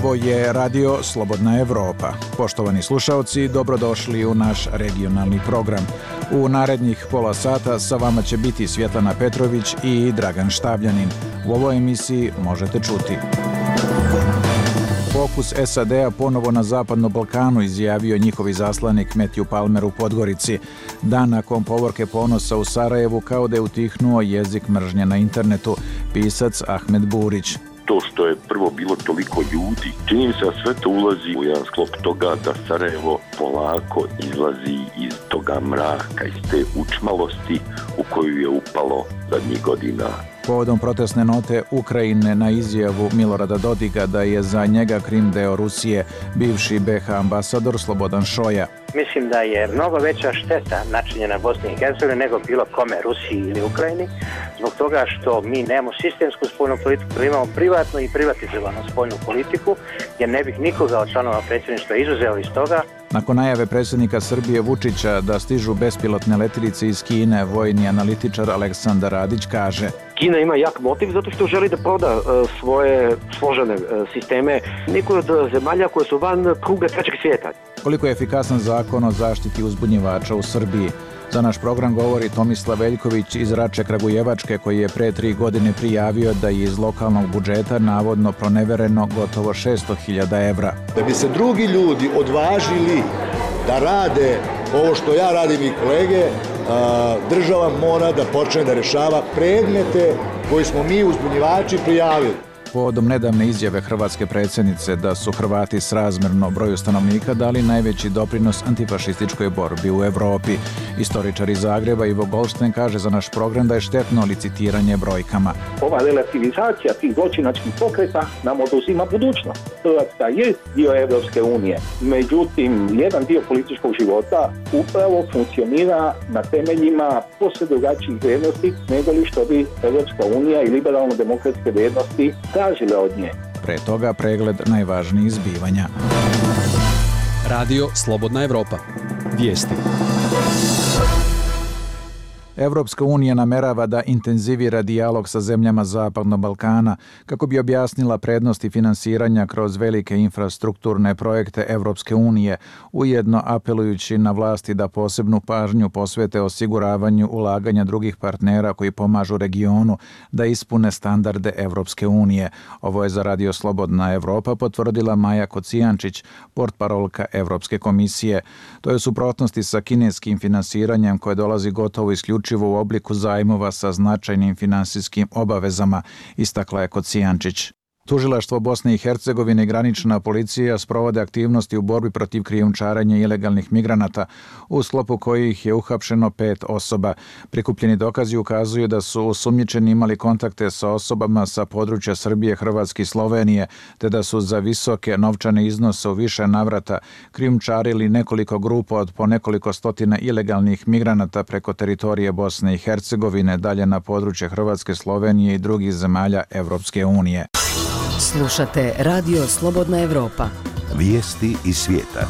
Ovo je Radio Slobodna Evropa. Poštovani slušaoci, dobrodošli u naš regionalni program. U narednih pola sata sa vama će biti Svjetlana Petrović i Dragan Štavljanin. U ovoj emisiji možete čuti: fokus SAD-a ponovo na Zapadnom Balkanu, izjavio njihov izaslanik Matthew Palmer u Podgorici. Dan nakon povorke Ponosa u Sarajevu kao da je utihnuo jezik mržnje na internetu, pisac Ahmed Burić. To što je prvo bilo toliko ljudi, čini mi se da sve to ulazi u jedan sklop toga da Sarajevo polako izlazi iz toga mraka, iz te učmalosti u koju je upalo zadnjih godina. Povodom protestne note Ukrajine na izjavu Milorada Dodiga da je za njega Krim deo Rusije, bivši BiH ambasador Slobodan Šoja. Mislim da je mnogo veća šteta načinjena Bosni i Hercegovini nego bilo kome, Rusiji ili Ukrajini, zbog toga što mi nemamo sistemsku spoljnu politiku, imamo privatnu i privatizovanu spoljnu politiku, jer ne bih nikoga od članova predsjedništva izuzeo iz toga. Nakon najave predsjednika Srbije Vučića da stižu bespilotne letjelice iz Kine, vojni analitičar Aleksandar Radić kaže: Kina ima jak motiv zato što želi da proda svoje složene sisteme nekoj od zemalja koje su van kruga trećeg svijeta. Koliko je efikasan zakon o zaštiti uzbunjivača u Srbiji? Za naš program govori Tomislav Veljković iz Rače Kragujevačke, koji je pre 3 godine prijavio da je iz lokalnog budžeta navodno pronevereno gotovo 600.000 evra. Da bi se drugi ljudi odvažili da rade ovo što ja radim i kolege, država mora da počne da rešava predmete koji smo mi uzbunjivači prijavili. Povodom nedavne izjave hrvatske predsjednice da su Hrvati srazmjerno broju stanovnika dali najveći doprinos antifašističkoj borbi u Evropi. Istoričar iz Zagreba Ivo Goldštajn kaže za naš program da je štetno licitiranje brojkama. Ova relativizacija tih zločinačkih pokreta nam oduzima budućnost. Hrvatska je dio Evropske unije, međutim jedan dio političkog života upravo funkcionira na temeljima posve drugačijih vrijednosti nego li što bi Evropska unija i liberalno-demokratske vrijednosti tražile od nje. Pre toga pregled najvažnijih zbivanja. Radio Slobodna Evropa. Vijesti. Evropska unija namerava da intenzivira dijalog sa zemljama Zapadnog Balkana kako bi objasnila prednosti finansiranja kroz velike infrastrukturne projekte Evropske unije, ujedno apelujući na vlasti da posebnu pažnju posvete osiguravanju ulaganja drugih partnera koji pomažu regionu da ispune standarde Evropske unije. Ovo je za Radio Slobodna Evropa potvrdila Maja Kocijančić, portparolka Evropske komisije. To je u suprotnosti sa kineskim finansiranjem koje dolazi gotovo isključivo u obliku zajmova sa značajnim finansijskim obavezama, istakla je Kocijančić. Tužilaštvo Bosne i Hercegovine i granična policija sprovode aktivnosti u borbi protiv krijumčarenja ilegalnih migranata, u sklopu kojih je uhapšeno 5 osoba. Prikupljeni dokazi ukazuju da su osumnjičeni imali kontakte sa osobama sa područja Srbije, Hrvatske i Slovenije, te da su za visoke novčane iznose u više navrata krijumčarili nekoliko grupa od po nekoliko stotina ilegalnih migranata preko teritorije Bosne i Hercegovine dalje na područje Hrvatske, Slovenije i drugih zemalja Evropske unije. Slušate Radio Slobodna Evropa. Vijesti iz svijeta.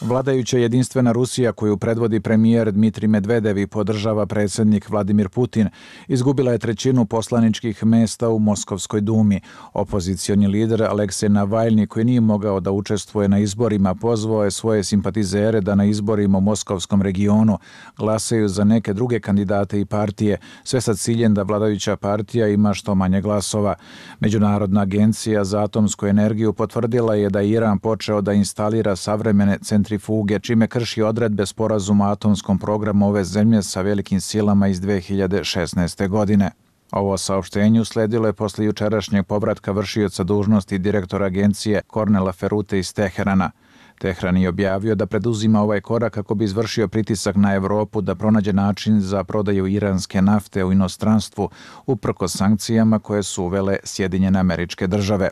Vladajuća jedinstvena Rusija, koju predvodi premijer Dmitrij Medvedev i podržava predsjednik Vladimir Putin, izgubila je 1/3 poslaničkih mesta u Moskovskoj dumi. Opozicioni lider Aleksej Navalni, koji nije mogao da učestvuje na izborima, pozvao je svoje simpatizere da na izborima u Moskovskom regionu glasaju za neke druge kandidate i partije, sve sa ciljem da vladajuća partija ima što manje glasova. Međunarodna agencija za atomsku energiju potvrdila je da je Iran počeo da instalira savremene centrifuge, čime krši odredbe sporazuma o atomskom programu ove zemlje sa velikim silama iz 2016. godine. Ovo saopštenje usledilo je posle jučerašnjeg povratka vršioca dužnosti direktora agencije Kornela Ferute iz Teherana. Tehran je objavio da preduzima ovaj korak kako bi izvršio pritisak na Evropu da pronađe način za prodaju iranske nafte u inostranstvu uprkos sankcijama koje su uvele Sjedinjene Američke Države.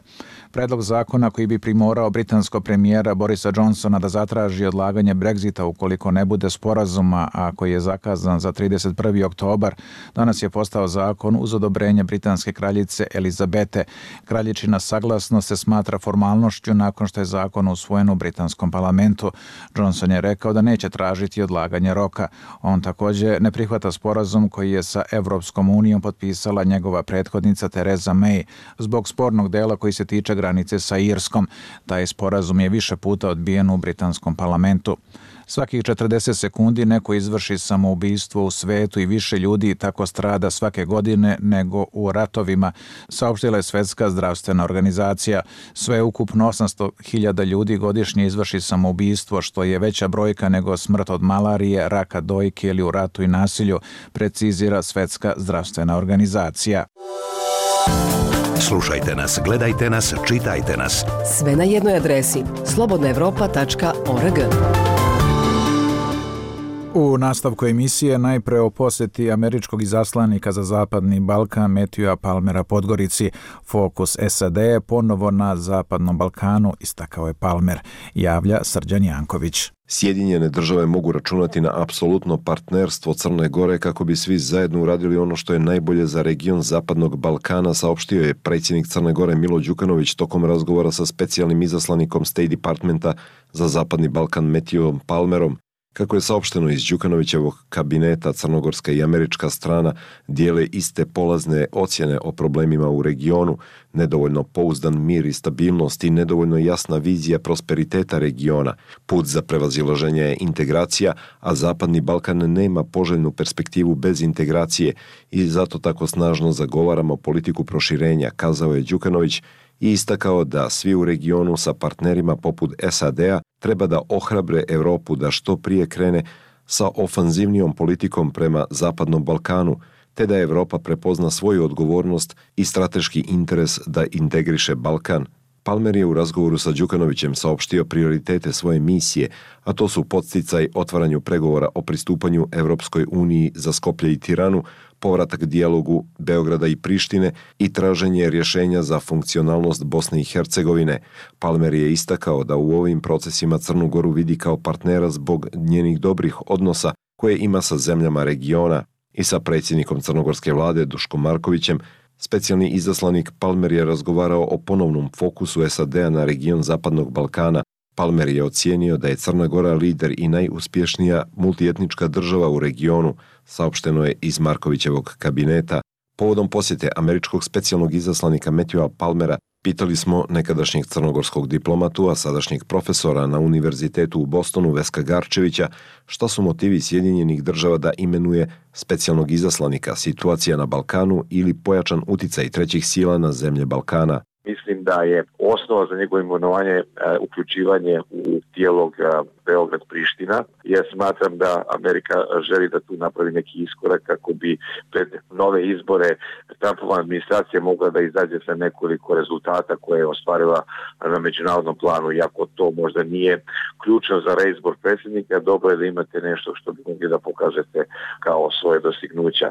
Predlog zakona koji bi primorao britanskog premijera Borisa Johnsona da zatraži odlaganje Brexita ukoliko ne bude sporazuma, a koji je zakazan za 31. oktobar, danas je postao zakon uz odobrenje britanske kraljice Elizabete. Kraljičina saglasnost se smatra formalnošću nakon što je zakon usvojen u britanskom britanskom parlamentu. Johnson je rekao da neće tražiti odlaganje roka. On također ne prihvata sporazum koji je sa Evropskom unijom potpisala njegova prethodnica Theresa May zbog spornog dela koji se tiče granice sa Irskom. Taj sporazum je više puta odbijen u britanskom parlamentu. Svakih 40 sekundi neko izvrši samoubistvo u svetu i više ljudi tako strada svake godine nego u ratovima, saopštila je Svjetska zdravstvena organizacija. Sve ukupno 800.000 ljudi godišnje izvrši samoubistvo, što je veća brojka nego smrt od malarije, raka dojke ili u ratu i nasilju, precizira Svjetska zdravstvena organizacija. Slušajte nas, gledajte nas, čitajte nas. Sve na jednoj adresi slobodnaevropa.org. U nastavku emisije najpre o posjeti američkog izaslanika za Zapadni Balkan Matthewa Palmera Podgorici. Fokus SAD je ponovo na Zapadnom Balkanu, istakao je Palmer, javlja Srđan Janković. Sjedinjene države mogu računati na apsolutno partnerstvo Crne Gore kako bi svi zajedno uradili ono što je najbolje za region Zapadnog Balkana, saopštio je predsjednik Crne Gore Milo Đukanović tokom razgovora sa specijalnim izaslanikom State Departmenta za Zapadni Balkan Matthewom Palmerom. Kako je saopšteno iz Đukanovićevog kabineta, crnogorska i američka strana dijele iste polazne ocjene o problemima u regionu, nedovoljno pouzdan mir i stabilnost i nedovoljno jasna vizija prosperiteta regiona. Put za prevazilaženje je integracija, a Zapadni Balkan nema poželjnu perspektivu bez integracije i zato tako snažno zagovaramo politiku proširenja, kazao je Đukanović i istakao da svi u regionu sa partnerima poput SAD-a treba da ohrabre Europu da što prije krene sa ofanzivnijom politikom prema Zapadnom Balkanu, te da Europa prepozna svoju odgovornost i strateški interes da integriše Balkan. Palmer je u razgovoru sa Đukanovićem saopštio prioritete svoje misije, a to su podsticaj otvaranju pregovora o pristupanju Evropskoj uniji za Skoplje i Tiranu, povratak dijalogu Beograda i Prištine i traženje rješenja za funkcionalnost Bosne i Hercegovine. Palmer je istakao da u ovim procesima Crnu Goru vidi kao partnera zbog njenih dobrih odnosa koje ima sa zemljama regiona i sa predsjednikom crnogorske vlade Duškom Markovićem. Specijalni izaslanik Palmer je razgovarao o ponovnom fokusu SAD-a na region Zapadnog Balkana. Palmer je ocijenio da je Crna Gora lider i najuspješnija multietnička država u regionu, saopšteno je iz Markovićevog kabineta. Povodom posjete američkog specijalnog izaslanika Matthewa Palmera pitali smo nekadašnjeg crnogorskog diplomatu, a sadašnjeg profesora na Univerzitetu u Bostonu Veska Garčevića, šta su motivi Sjedinjenih država da imenuje specijalnog izaslanika, situacija na Balkanu ili pojačan uticaj trećih sila na zemlje Balkana. Mislim da je osnova za njegovo imenovanje uključivanje u dijalog Beograd-Priština. Ja smatram da Amerika želi da tu napravi neki iskorak kako bi pred nove izbore Trumpova administracija mogla da izađe sa nekoliko rezultata koje je ostvarila na međunarodnom planu. Iako to možda nije ključno za reizbor predsjednika, dobro je da imate nešto što bi mogli da pokažete kao svoje dostignuća.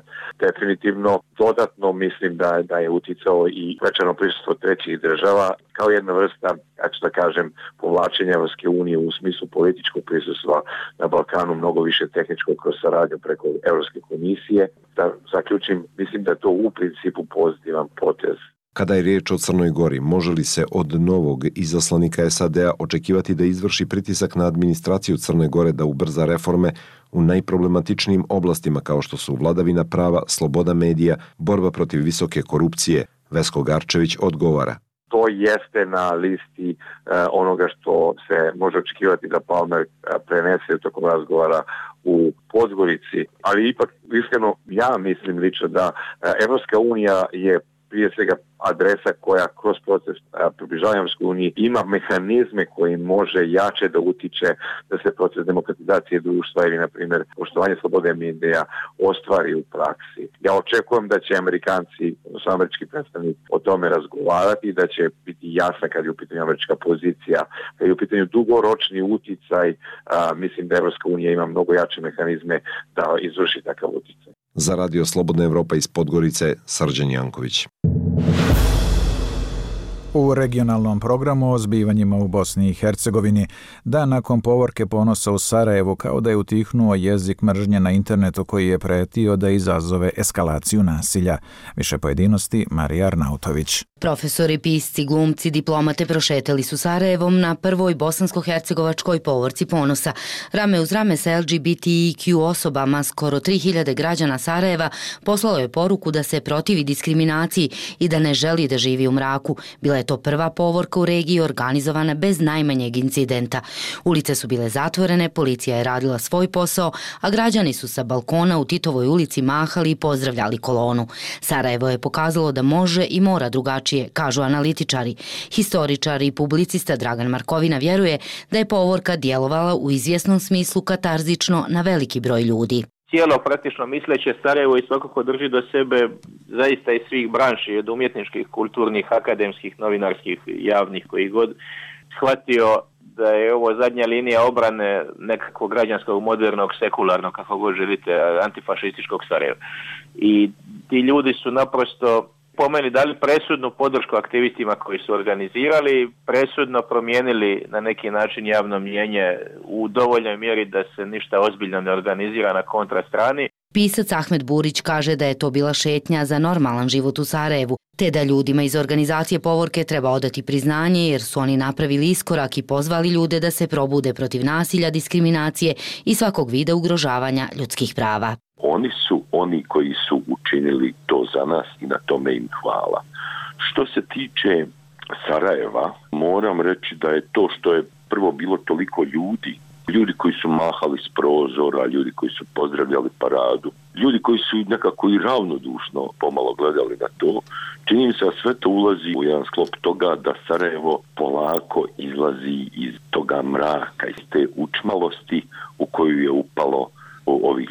Definitivno dodatno mislim da je uticao i većano prisustvo trećih država kao jedna vrsta, ja ću da kažem, povlačenja Evropske unije u smislu političkog prisustva na Balkanu, mnogo više tehničkog kroz saradnju preko Evropske komisije. Da zaključim, mislim da je to u principu pozitivan potez. Kada je riječ o Crnoj Gori, može li se od novog izaslanika SAD-a očekivati da izvrši pritisak na administraciju Crne Gore da ubrza reforme u najproblematičnijim oblastima kao što su vladavina prava, sloboda medija, borba protiv visoke korupcije? Vesko Garčević odgovara. To jeste na listi onoga što se može očekivati da Palmer prenese tokom razgovora u Podgorici, ali ipak iskreno ja mislim lično da Evropska unija je prije svega adresa koja kroz proces približavanja Evropskoj uniji ima mehanizme koji može jače da utiče da se proces demokratizacije društva ili, na primjer, poštovanje slobode medija ostvari u praksi. Ja očekujem da će Amerikanci, odnosno američki predstavnici, o tome razgovarati i da će biti jasna kad je u pitanju američka pozicija, kad je u pitanju dugoročni uticaj. Mislim da Evropska unija ima mnogo jače mehanizme da izvrši takav uticaj. Za Radio Slobodna Evropa iz Podgorice, Srđan Janković. U regionalnom programu o zbivanjima u Bosni i Hercegovini, dan nakon povorke Ponosa u Sarajevu, kao da je utihnuo jezik mržnje na internetu koji je pretio da izazove eskalaciju nasilja. Više pojedinosti, Marija Arnautović. Profesori, pisci, glumci, diplomate prošetali su Sarajevom na prvoj bosansko-hercegovačkoj povorci Ponosa. Rame uz rame sa LGBTIQ osobama, skoro 3000 građana Sarajeva poslalo je poruku da se protivi diskriminaciji i da ne želi da živi u mraku. Bila je to prva povorka u regiji organizovana bez najmanjeg incidenta. Ulice su bile zatvorene, policija je radila svoj posao, a građani su sa balkona u Titovoj ulici mahali i pozdravljali kolonu. Sarajevo je pokazalo da može i mora drugačije, kažu analitičari. Historičar i publicista Dragan Markovina vjeruje da je povorka djelovala u izvjesnom smislu katarzično na veliki broj ljudi. Cijelo praktično misleće Sarajevo i svakako drži do sebe zaista iz svih branši, od umjetničkih, kulturnih, akademskih, novinarskih, javnih, koji god shvatio da je ovo zadnja linija obrane nekakvog građanskog, modernog, sekularnog, kako god želite, antifašističkog Sarajeva. I ti ljudi su naprosto po meni dali presudnu podršku aktivistima koji su organizirali, presudno promijenili na neki način javno mnijenje u dovoljnoj mjeri da se ništa ozbiljno ne organizira na kontrastrani. Pisac Ahmed Burić kaže da je to bila šetnja za normalan život u Sarajevu, te da ljudima iz organizacije povorke treba odati priznanje jer su oni napravili iskorak i pozvali ljude da se probude protiv nasilja, diskriminacije i svakog vida ugrožavanja ljudskih prava. Oni su oni koji su učinili to za nas i na tome im hvala. Što se tiče Sarajeva, moram reći da je to što je prvo bilo toliko ljudi koji su mahali s prozora, ljudi koji su pozdravljali paradu, ljudi koji su nekako i ravnodušno pomalo gledali na to, čini mi se da sve to ulazi u jedan sklop toga da Sarajevo polako izlazi iz toga mraka, iz te učmalosti u koju je upalo ovih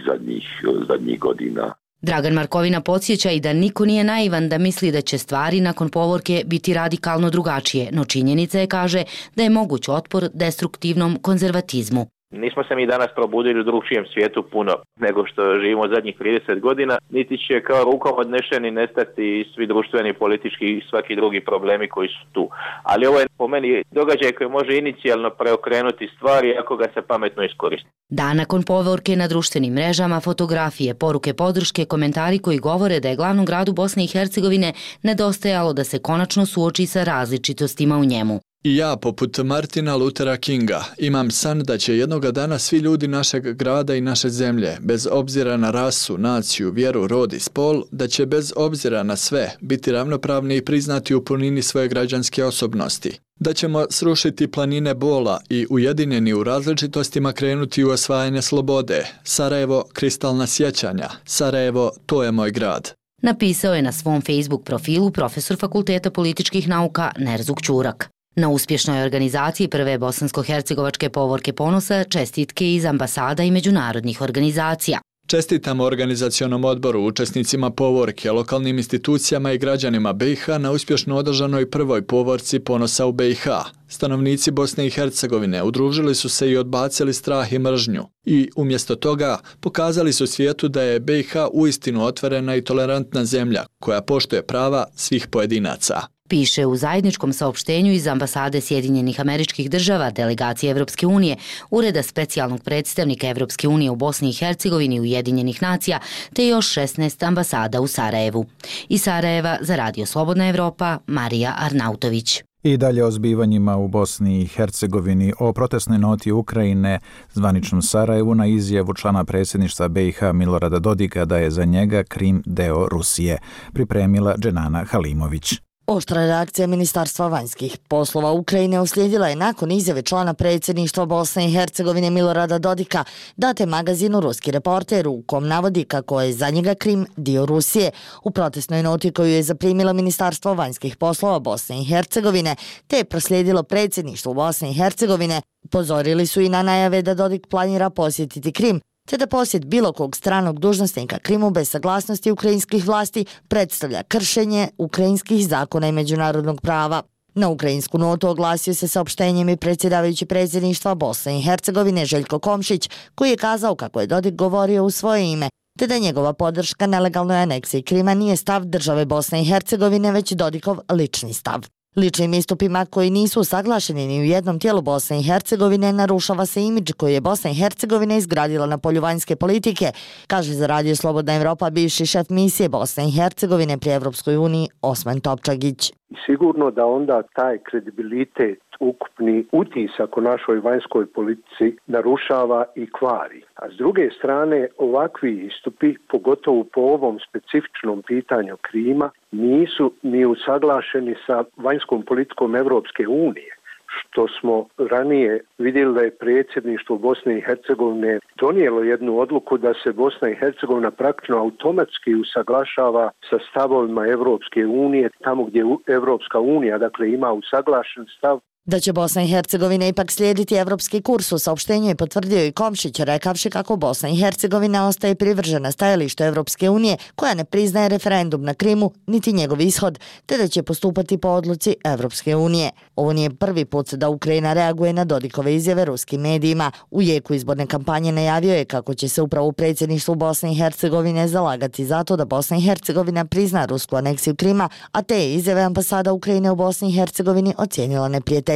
zadnjih godina. Dragan Markovina podsjeća i da niko nije naivan da misli da će stvari nakon povorke biti radikalno drugačije, no činjenica je, kaže, da je moguć otpor destruktivnom konzervatizmu. Nismo se mi danas probudili u drugčijem svijetu puno nego što živimo zadnjih 30 godina, niti će kao rukom odnešeni nestati svi društveni, politički i svaki drugi problemi koji su tu. Ali ovo je po meni događaj koji može inicijalno preokrenuti stvari ako ga se pametno iskoristi. Dan nakon povorke na društvenim mrežama, fotografije, poruke podrške, komentari koji govore da je glavnom gradu Bosne i Hercegovine nedostajalo da se konačno suoči sa različitostima u njemu. I ja, poput Martina Luthera Kinga, imam san da će jednoga dana svi ljudi našeg grada i naše zemlje, bez obzira na rasu, naciju, vjeru, rod i spol, da će bez obzira na sve biti ravnopravni i priznati u punini svoje građanske osobnosti. Da ćemo srušiti planine bola i ujedinjeni u različitostima krenuti u osvajanje slobode. Sarajevo, kristalna sjećanja. Sarajevo, to je moj grad. Napisao je na svom Facebook profilu profesor Fakulteta političkih nauka Nerzuk Ćurak. Na uspješnoj organizaciji prve bosansko-hercegovačke povorke Ponosa čestitke iz ambasada i međunarodnih organizacija. Čestitamo organizacionom odboru, učesnicima povorke, lokalnim institucijama i građanima BiH na uspješno održanoj prvoj povorci Ponosa u BiH. Stanovnici Bosne i Hercegovine udružili su se i odbacili strah i mržnju. I umjesto toga pokazali su svijetu da je BiH uistinu otvorena i tolerantna zemlja koja poštuje prava svih pojedinaca. Piše u zajedničkom saopštenju iz ambasade Sjedinjenih Američkih Država, delegacije Evropske unije, Ureda specijalnog predstavnika Evropske unije u Bosni i Hercegovini i Ujedinjenih nacija, te još 16 ambasada u Sarajevu. Iz Sarajeva za Radio Slobodna Evropa, Marija Arnautović. I dalje o zbivanjima u Bosni i Hercegovini, o protestnoj noti Ukrajine zvaničnom Sarajevu na izjavu člana predsjedništva BiH Milorada Dodika da je za njega Krim deo Rusije, pripremila Dženana Halimović. Oštra reakcija Ministarstva vanjskih poslova Ukrajine uslijedila je nakon izjave člana predsjedništva Bosne i Hercegovine Milorada Dodika date magazinu Ruski reporter u kom navodi kako je za njega Krim dio Rusije. U protestnoj noti koju je zaprimilo Ministarstvo vanjskih poslova Bosne i Hercegovine te je proslijedilo predsjedništvu Bosne i Hercegovine, upozorili su i na najave da Dodik planira posjetiti Krim, te da posjet bilo kog stranog dužnosnika Krimu bez saglasnosti ukrajinskih vlasti predstavlja kršenje ukrajinskih zakona i međunarodnog prava. Na ukrajinsku notu oglasio se saopštenjem i predsjedavajući predsjedništva Bosne i Hercegovine Željko Komšić, koji je kazao kako je Dodik govorio u svoje ime, te da njegova podrška nelegalnoj aneksiji Krima nije stav države Bosne i Hercegovine, već Dodikov lični stav. Ličnim istupima koji nisu usaglašeni ni u jednom tijelu Bosne i Hercegovine narušava se imidž koji je Bosna i Hercegovina izgradila na polju vanjske politike, kaže za Radio Slobodna Evropa bivši šef misije Bosne i Hercegovine pri Evropskoj uniji Osman Topčagić. Sigurno da onda taj kredibilitet, ukupni utisak o našoj vanjskoj politici narušava i kvari. A s druge strane, ovakvi istupi, pogotovo po ovom specifičnom pitanju Krima, nisu ni usaglašeni sa vanjskom politikom Evropske unije, što smo ranije vidjeli da je predsjedništvo Bosne i Hercegovine donijelo jednu odluku da se Bosna i Hercegovina praktično automatski usaglašava sa stavovima Evropske unije, tamo gdje Evropska unija ima usaglašen stav. Da će Bosna i Hercegovina ipak slijediti evropski kurs u saopštenju je potvrdio i Komšić, rekavši kako Bosna i Hercegovina ostaje privržena stajalištu Evropske unije koja ne priznaje referendum na Krimu niti njegov ishod, te da će postupati po odluci Evropske unije. Ovo nije prvi put da Ukrajina reaguje na Dodikove izjave ruskim medijima. U jeku izborne kampanje najavio je kako će se upravo u predsjedništvu Bosne i Hercegovine zalagati zato da Bosna i Hercegovina prizna rusku aneksiju Krima, a te je izjave ambasada Ukrajine u Bosni i Hercegovini ocijenila neprijateljskim.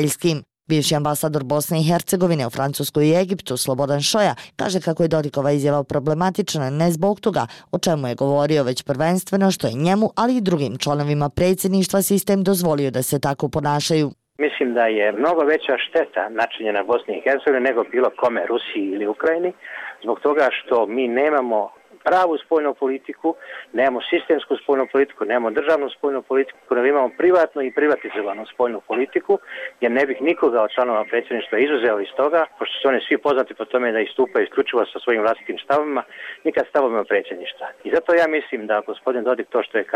Bivši ambasador Bosne i Hercegovine u Francuskoj i Egiptu Slobodan Šoja kaže kako je Dodikova izjava problematična ne zbog toga o čemu je govorio, već prvenstveno što je njemu, ali i drugim članovima predsjedništva sistem dozvolio da se tako ponašaju. Mislim da je mnogo veća šteta načinjena Bosni i Hercegovini nego bilo kome, Rusiji ili Ukrajini, zbog toga što mi nemamo pravu spoljnu politiku, nemamo sistemsku spoljnu politiku, nemamo državnu spoljnu politiku, nego imamo privatnu i privatizovanu spoljnu politiku, jer ne bih nikoga od članova predsjedništva izuzeo iz toga, pošto su oni svi poznati po tome da istupaju isključivo sa svojim vlastitim stavovima, nikad stavovima predsjedništva. I zato ja mislim da gospodin Dodik to što je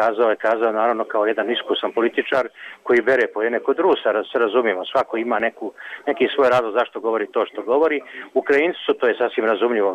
kazao naravno kao jedan iskusan političar koji bere po jedne kod Rusa, se razumijemo, svako ima neki svoj razlog zašto govori to što govori. Ukrajinci su, to je sasvim razumljivo,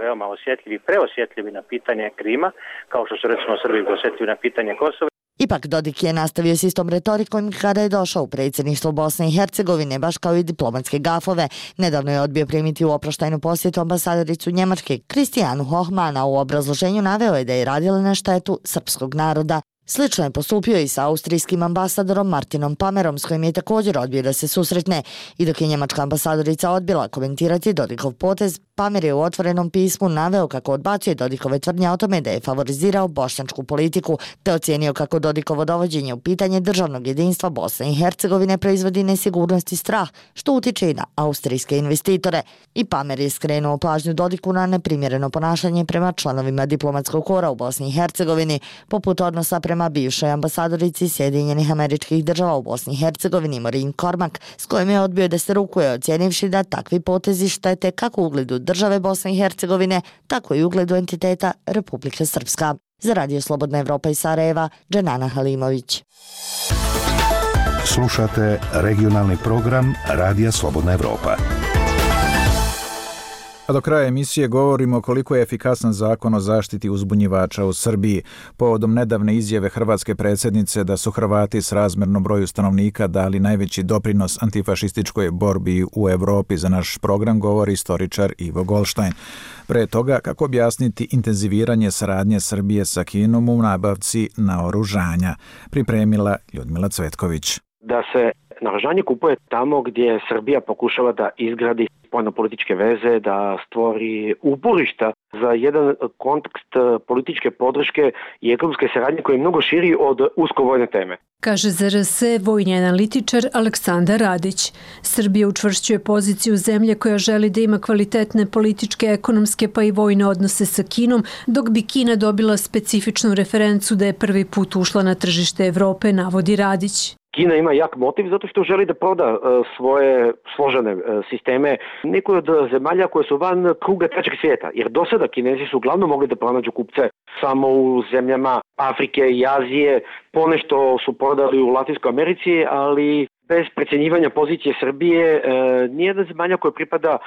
veoma osjetljivi, preosjetljivi na pitanje Krima, kao što su recimo Srbi osjetljivi na pitanje Kosova. Ipak Dodik je nastavio s istom retorikom kada je došao u predsjedništvo Bosne i Hercegovine, baš kao i diplomatske gafove. Nedavno je odbio primiti u oproštajnu posjetu ambasadoricu Njemačke Kristijanu Hohmana. U obrazloženju naveo je da je radila na štetu srpskog naroda. Slično je postupio i sa austrijskim ambasadorom Martinom Pamerom, s kojim je također odbio da se susretne. I dok je njemačka ambasadorica odbila komentirati Dodikov potez, Pamer je u otvorenom pismu naveo kako odbacuje Dodikove tvrdnje o tome da je favorizirao bošnjačku politiku, te ocijenio kako Dodikovo dovođenje u pitanje državnog jedinstva Bosne i Hercegovine proizvodi nesigurnost i strah, što utiče i na austrijske investitore. I Pamer je skrenuo pažnju Dodiku na neprimjereno ponašanje prema članovima diplomatskog kora u Bosni i Hercegovini, poput odnosa prema bivšoj ambasadorici Sjedinjenih Američkih Država u Bosni i Hercegovini Maureen Cormack, s kojim je odbio da se rukuje, ocijenivši da takvi potezi štete kako ugledu države Bosne i Hercegovine, tako i ugledu entiteta Republike Srpska. Za Radio Slobodna Evropa iz Sarajeva, Dženana Halimović. Slušate regionalni program Radija Slobodna Evropa. A do kraja emisije govorimo koliko je efikasan zakon o zaštiti uzbunjivača u Srbiji. Povodom nedavne izjave hrvatske predsjednice da su Hrvati s razmjerno broju stanovnika dali najveći doprinos antifašističkoj borbi u Europi, za naš program govori istoričar Ivo Goldstein. Pre toga, kako objasniti intenziviranje saradnje Srbije sa Kinom u nabavci naoružanja, pripremila Ljudmila Cvetković. Da se naoružanje kupuje tamo gdje Srbija pokušava da izgradi spoljno-političke veze, da stvori uporišta za jedan kontekst političke podrške i ekonomske saradnje koji je mnogo širi od uskovojne teme. Kaže za RS vojni analitičar Aleksandar Radić. Srbija učvršćuje poziciju zemlje koja želi da ima kvalitetne političke, ekonomske pa i vojne odnose sa Kinom, dok bi Kina dobila specifičnu referencu da je prvi put ušla na tržište Evrope, navodi Radić. Kina ima jak motiv zato što želi da proda svoje složene sisteme nekoj od zemalja koje su van kruga trećeg svijeta. Jer do sada Kinezi su uglavnom mogli da pronađu kupce samo u zemljama Afrike i Azije, ponešto su prodali u Latinskoj Americi, ali bez precjenjivanja pozicije Srbije nijedna zemalja koja pripada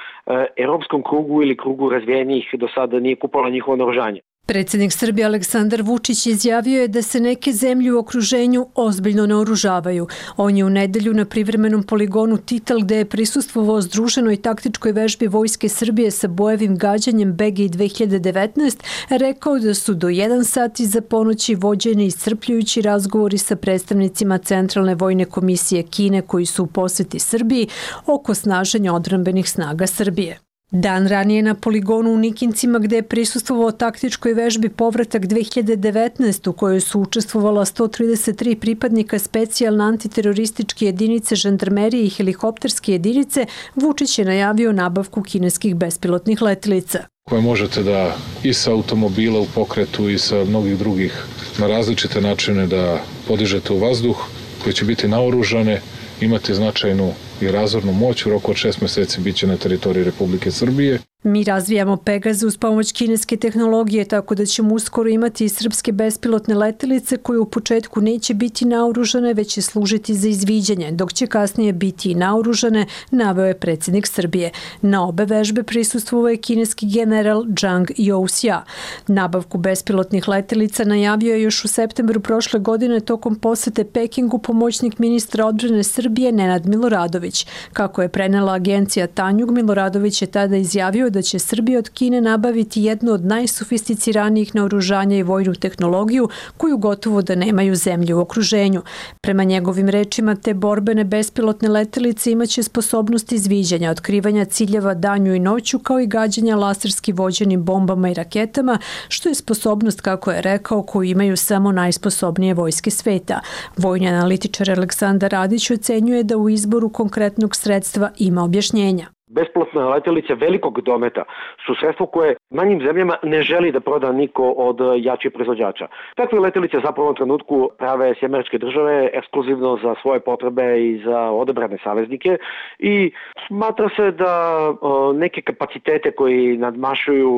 europskom krugu ili krugu razvijenih do sada nije kupovala njihovo naoružanje. Predsjednik Srbije Aleksandar Vučić izjavio je da se neke zemlje u okruženju ozbiljno naoružavaju. On je u nedelju na privremenom poligonu Titel, gde je prisustvovao združenoj taktičkoj vežbi Vojske Srbije sa bojevim gađanjem BGI 2019, rekao da su do 1 sat iza ponoći vođeni iscrpljujući razgovori sa predstavnicima Centralne vojne komisije Kine koji su u poseti Srbiji oko snaženja odbrambenih snaga Srbije. Dan ranije na poligonu u Nikincima, gde je prisustvovao taktičkoj vežbi Povratak 2019 u kojoj su učestvovala 133 pripadnika specijalne antiterorističke jedinice, žandarmerije i helikopterske jedinice, Vučić je najavio nabavku kineskih bespilotnih letilica. Koje možete da i sa automobila u pokretu i sa mnogih drugih na različite načine da podižete u vazduh, koje će biti naoružane, imati značajnu i razornu moć, u roku od 6 meseci biće na teritoriji Republike Srbije. Mi razvijamo Pegaze uz pomoć kineske tehnologije, tako da ćemo uskoro imati i srpske bespilotne letelice koje u početku neće biti naoružane, već će služiti za izviđanje, dok će kasnije biti i naoružane, naveo je predsjednik Srbije. Na obe vežbe prisustvovao je kineski general Zhang Youxia. Nabavku bespilotnih letelica najavio je još u septembru prošle godine tokom posete Pekingu pomoćnik ministra odbrane Srbije Nenad Miloradović. Kako je prenela agencija Tanjug, Miloradović je tada izjavio da će Srbija od Kine nabaviti jedno od najsofisticiranijih naoružanja i vojnu tehnologiju koju gotovo da nemaju zemlje u okruženju. Prema njegovim rečima, te borbene bespilotne letelice imaće sposobnost izviđanja, otkrivanja ciljeva danju i noću, kao i gađanja laserski vođenim bombama i raketama, što je sposobnost, kako je rekao, koju imaju samo najsposobnije vojske sveta. Vojni analitičar Aleksandar Radić ocenjuje da u izboru konkretnog sredstva ima objašnjenja. Bespilotne letelice velikog dometa su sredstvo koje manjim zemljama ne želi da proda niko od jačih proizvođača. Takve letelice zapravo u trenutku prave Američke države ekskluzivno za svoje potrebe i za odabrane saveznike i smatra se da neke kapacitete koji nadmašuju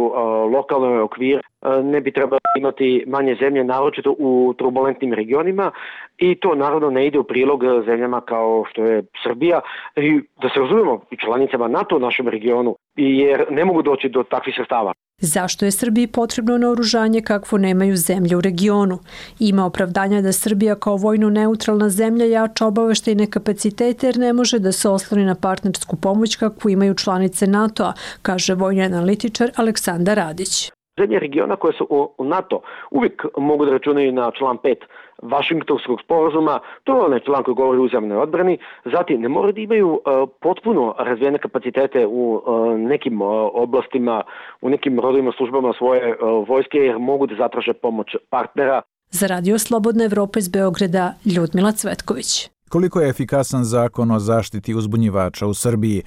lokalne okvire ne bi trebalo imati manje zemlje, naročito u turbulentnim regionima, i to naravno ne ide u prilog zemljama kao što je Srbija i da se razumemo i članicama NATO u našem regionu, jer ne mogu doći do takvih sredstava. Zašto je Srbiji potrebno naoružanje kakvo nemaju zemlje u regionu? Ima opravdanja da Srbija kao vojno neutralna zemlja jača obaveštajne kapacitete jer ne može da se osloni na partnersku pomoć kakvu imaju članice NATO-a, kaže vojni analitičar Aleksandar Radić. Zemlje regiona koje su u NATO uvijek mogu da računaju na član 5 Vašingtonskog sporazuma, to je onaj član koji govori o uzajamnoj odbrani, zatim ne moraju da imaju potpuno razvijene kapacitete u nekim oblastima, u nekim rodovima službama svoje vojske, jer mogu da zatraže pomoć partnera. Za Radio Slobodna Evropa iz Beograda, Ljudmila Cvetković. Koliko je efikasan zakon o zaštiti uzbunjivača u Srbiji?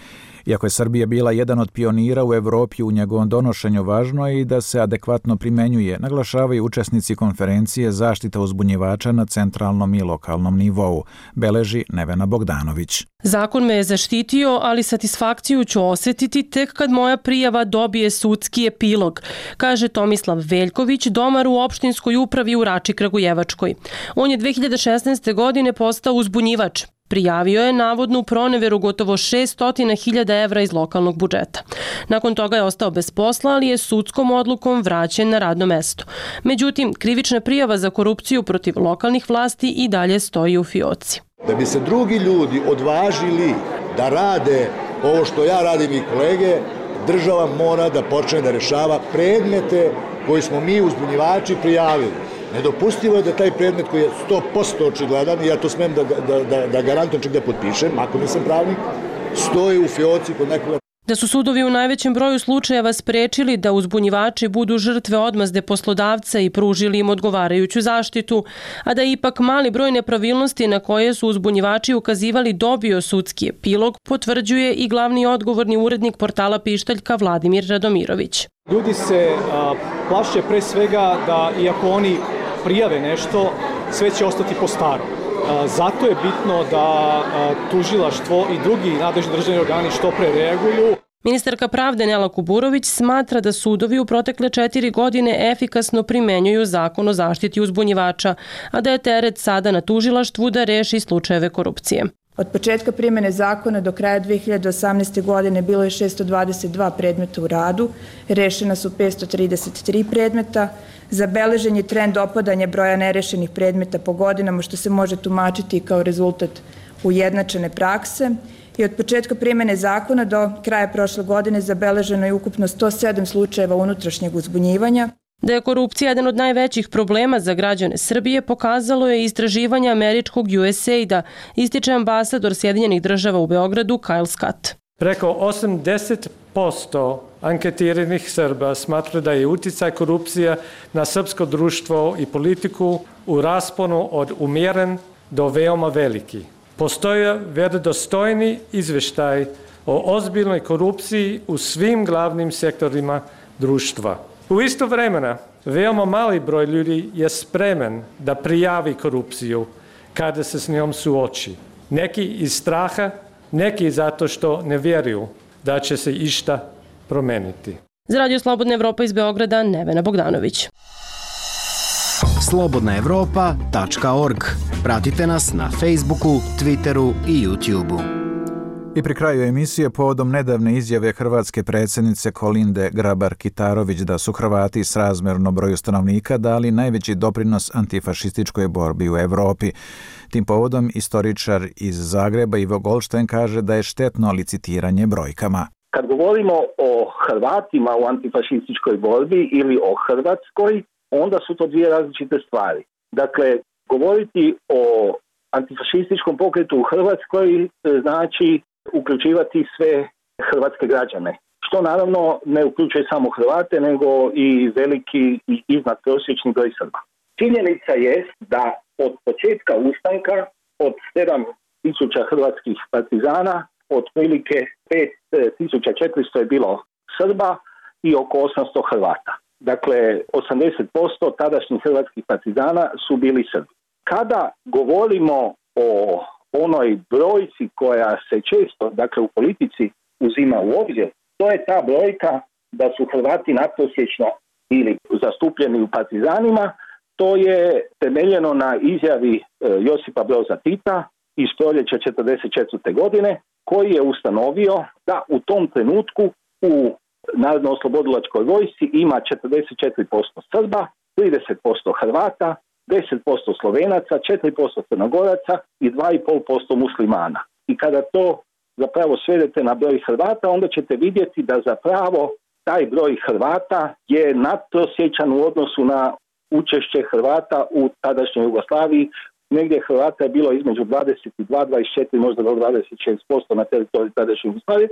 Iako je Srbija bila jedan od pionira u Evropi u njegovom donošenju, važno je i da se adekvatno primenjuje, naglašavaju učesnici konferencije Zaštita uzbunjivača na centralnom i lokalnom nivou, beleži Nevena Bogdanović. Zakon me je zaštitio, ali satisfakciju ću osjetiti tek kad moja prijava dobije sudski epilog, kaže Tomislav Veljković, domar u opštinskoj upravi u Rači Kragujevačkoj. On je 2016. godine postao uzbunjivač. Prijavio je navodnu proneveru gotovo 600.000 evra iz lokalnog budžeta. Nakon toga je ostao bez posla, ali je sudskom odlukom vraćen na radno mesto. Međutim, krivična prijava za korupciju protiv lokalnih vlasti i dalje stoji u fioci. Da bi se drugi ljudi odvažili da rade ovo što ja radim i kolege, država mora da počne da rešava predmete koji smo mi uzbunjivači prijavili. Nedopustivo je da taj predmet koji je 100% očigledan, i ja to smem da garantujem, čak da potpišem, ako nisam pravnik, stoji u fioci kod nekoga. Da su sudovi u najvećem broju slučajeva sprečili da uzbunjivači budu žrtve odmazde poslodavca i pružili im odgovarajuću zaštitu, a da je ipak mali broj nepravilnosti na koje su uzbunjivači ukazivali dobio sudski epilog, potvrđuje i glavni odgovorni urednik portala Pištaljka Vladimir Radomirović. Ljudi se plaše pre svega da iako oni prijave nešto, sve će ostati po starom. Zato je bitno da tužilaštvo i drugi nadležni državni organi što pre reaguju. Ministarka pravde Nela Kuburović smatra da sudovi u protekle 4 godine efikasno primenjuju zakon o zaštiti uzbunjivača, a da je teret sada na tužilaštvu da reši slučajeve korupcije. Od početka primjene zakona do kraja 2018. godine bilo je 622 predmeta u radu, rešena su 533 predmeta, zabeležen je trend opadanja broja nerešenih predmeta po godinama, što se može tumačiti kao rezultat ujednačene prakse, i od početka primjene zakona do kraja prošle godine zabeleženo je ukupno 107 slučajeva unutrašnjeg uzbunjivanja. Da je korupcija jedan od najvećih problema za građane Srbije pokazalo je istraživanje američkog USAID-a, ističe ambasador Sjedinjenih država u Beogradu Kyle Scott. Preko 80% anketiranih Srba smatra da je uticaj korupcija na srpsko društvo i politiku u rasponu od umjeren do veoma veliki. Postoje vjerodostojni izveštaj o ozbiljnoj korupciji u svim glavnim sektorima društva. U isto vremena, veoma mali broj ljudi je spreman da prijavi korupciju kada se s njom suoči. Neki iz straha, neki zato što ne vjeruju da će se išta promeniti. Za Radio Slobodna Evropa iz Beograda, Nevena Bogdanović. slobodnaevropa.org. Pratite nas na Facebooku, Twitteru i YouTubeu. I pri kraju emisije povodom nedavne izjave hrvatske predsjednice Kolinde Grabar-Kitarović da su Hrvati srazmjerno broju stanovnika dali najveći doprinos antifašističkoj borbi u Evropi. Tim povodom istoričar iz Zagreba Ivo Goldstein kaže da je štetno licitiranje brojkama. Kad govorimo o Hrvatima u antifašističkoj borbi ili o Hrvatskoj, onda su to dvije različite stvari. Dakle, govoriti o antifašističkom pokretu u Hrvatskoj znači uključivati sve hrvatske građane, što naravno ne uključuje samo Hrvate, nego i veliki i iznadprosječni broj Srba. Činjenica je da od početka ustanka, od 7.000 hrvatskih partizana, otprilike 5.400 je bilo Srba i oko 800 Hrvata. Dakle, 80% tadašnjih hrvatskih partizana su bili Srbi. Kada govorimo o onoj brojci koja se često, dakle u politici, uzima u obzir, to je ta brojka da su Hrvati nadprosječno ili zastupljeni u partizanima. To je temeljeno na izjavi Josipa Broza Tita iz proljeća 1944. godine, koji je ustanovio da u tom trenutku u Narodno-oslobodilačkoj vojsci ima 44% Srba, 30% Hrvata, 10% Slovenaca, 4% Crnogoraca i 2,5% muslimana. I kada to zapravo svedete na broj Hrvata, onda ćete vidjeti da zapravo taj broj Hrvata je nadprosječan u odnosu na učešće Hrvata u tadašnjoj Jugoslaviji. Negdje Hrvata je bilo između 22, 24, možda do 26% na teritoriju tadašnje Jugoslavije,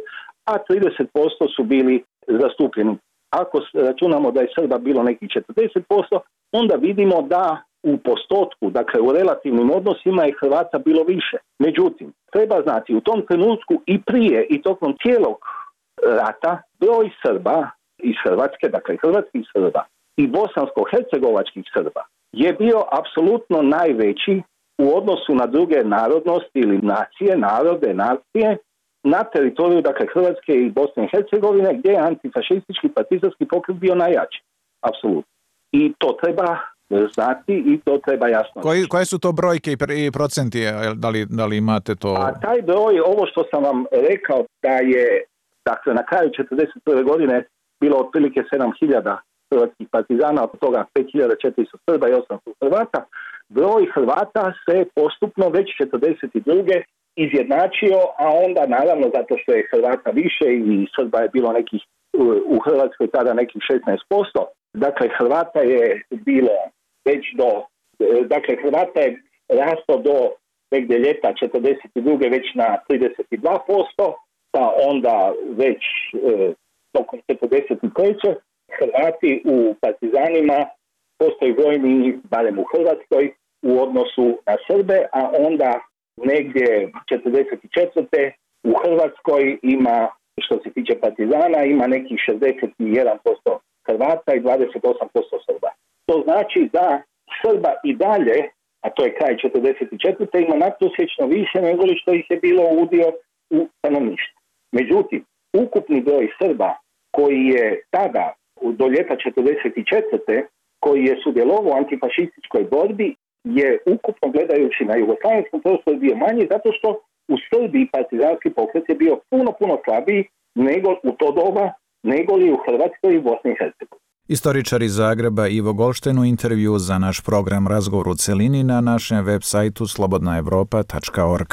a 30% su bili zastupljeni. Ako računamo da je Srba bilo nekih 40%, onda vidimo da u postotku, dakle u relativnim odnosima je Hrvata bilo više. Međutim, treba znati, u tom trenutku i prije i tokom cijelog rata broj Srba iz Hrvatske, dakle hrvatskih Srba i bosansko-hercegovačkih Srba je bio apsolutno najveći u odnosu na druge narodnosti ili nacije, narode, nacije na teritoriju, dakle, Hrvatske i Bosne i Hercegovine, gdje je antifašistički partizanski pokret bio najjači. Apsolutno. I to treba znati i to treba jasno. Koje su to brojke i procenti? Da li imate to? A taj broj, ovo što sam vam rekao, da je, dakle, na kraju 1941. godine bilo otprilike 7.000 hrvatskih partizana, od toga 5.400 Srba i 800 Hrvata. Broj Hrvata se postupno već 1942. izjednačio, a onda naravno zato što je Hrvata više i Srba je bilo nekih u Hrvatskoj tada nekih 16%. Dakle, Hrvata je bilo već dakle, Hrvata je rastao do negdje ljeta 1942. već na 32%, pa onda već tokom 1943. Hrvati u partizanima postoji vojni, barem u Hrvatskoj, u odnosu na Srbe, a onda negdje 1944. u Hrvatskoj ima, što se tiče partizana, ima nekih 61% Hrvata i 28% Srba. To znači da Srba i dalje, a to je kraj 1944. ima nadprosječno više nego li što ih je bilo udio u stanovništvu. Međutim, ukupni broj Srba koji je tada do ljeta 1944. koji je sudjelovao u antifašističkoj borbi je ukupno gledajući na jugoslavenskom prostoru bio manji zato što u Srbiji partizanski pokret je bio puno slabiji nego u to doba, nego li u Hrvatskoj i Bosni i Hercegovini. Istoričar iz Zagreba Ivo Golšten u intervju za naš program Razgovor u celini na našem web sajtu slobodnaevropa.org.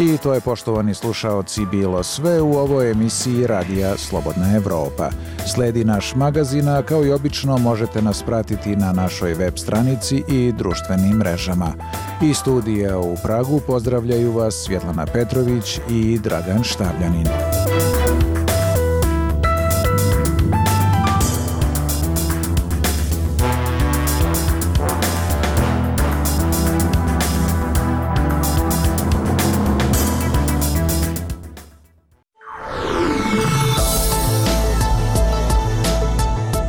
I to je, poštovani slušaoci, bilo sve u ovoj emisiji Radija Slobodna Evropa. Sledi naš magazin, a kao i obično možete nas pratiti na našoj web stranici i društvenim mrežama. Iz studija u Pragu pozdravljaju vas Svjetlana Petrović i Dragan Štavljanin.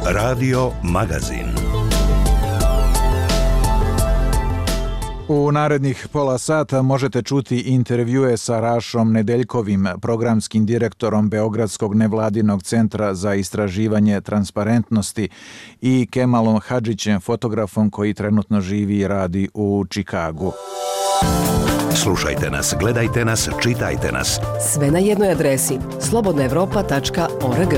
Radio Magazin. U narednih pola sata možete čuti intervjue sa Rašom Nedeljkovim, programskim direktorom Beogradskog nevladinog centra za istraživanje transparentnosti, i Kemalom Hadžićem, fotografom koji trenutno živi i radi u Čikagu. Slušajte nas, gledajte nas, čitajte nas. Sve na jednoj adresi slobodnaevropa.org.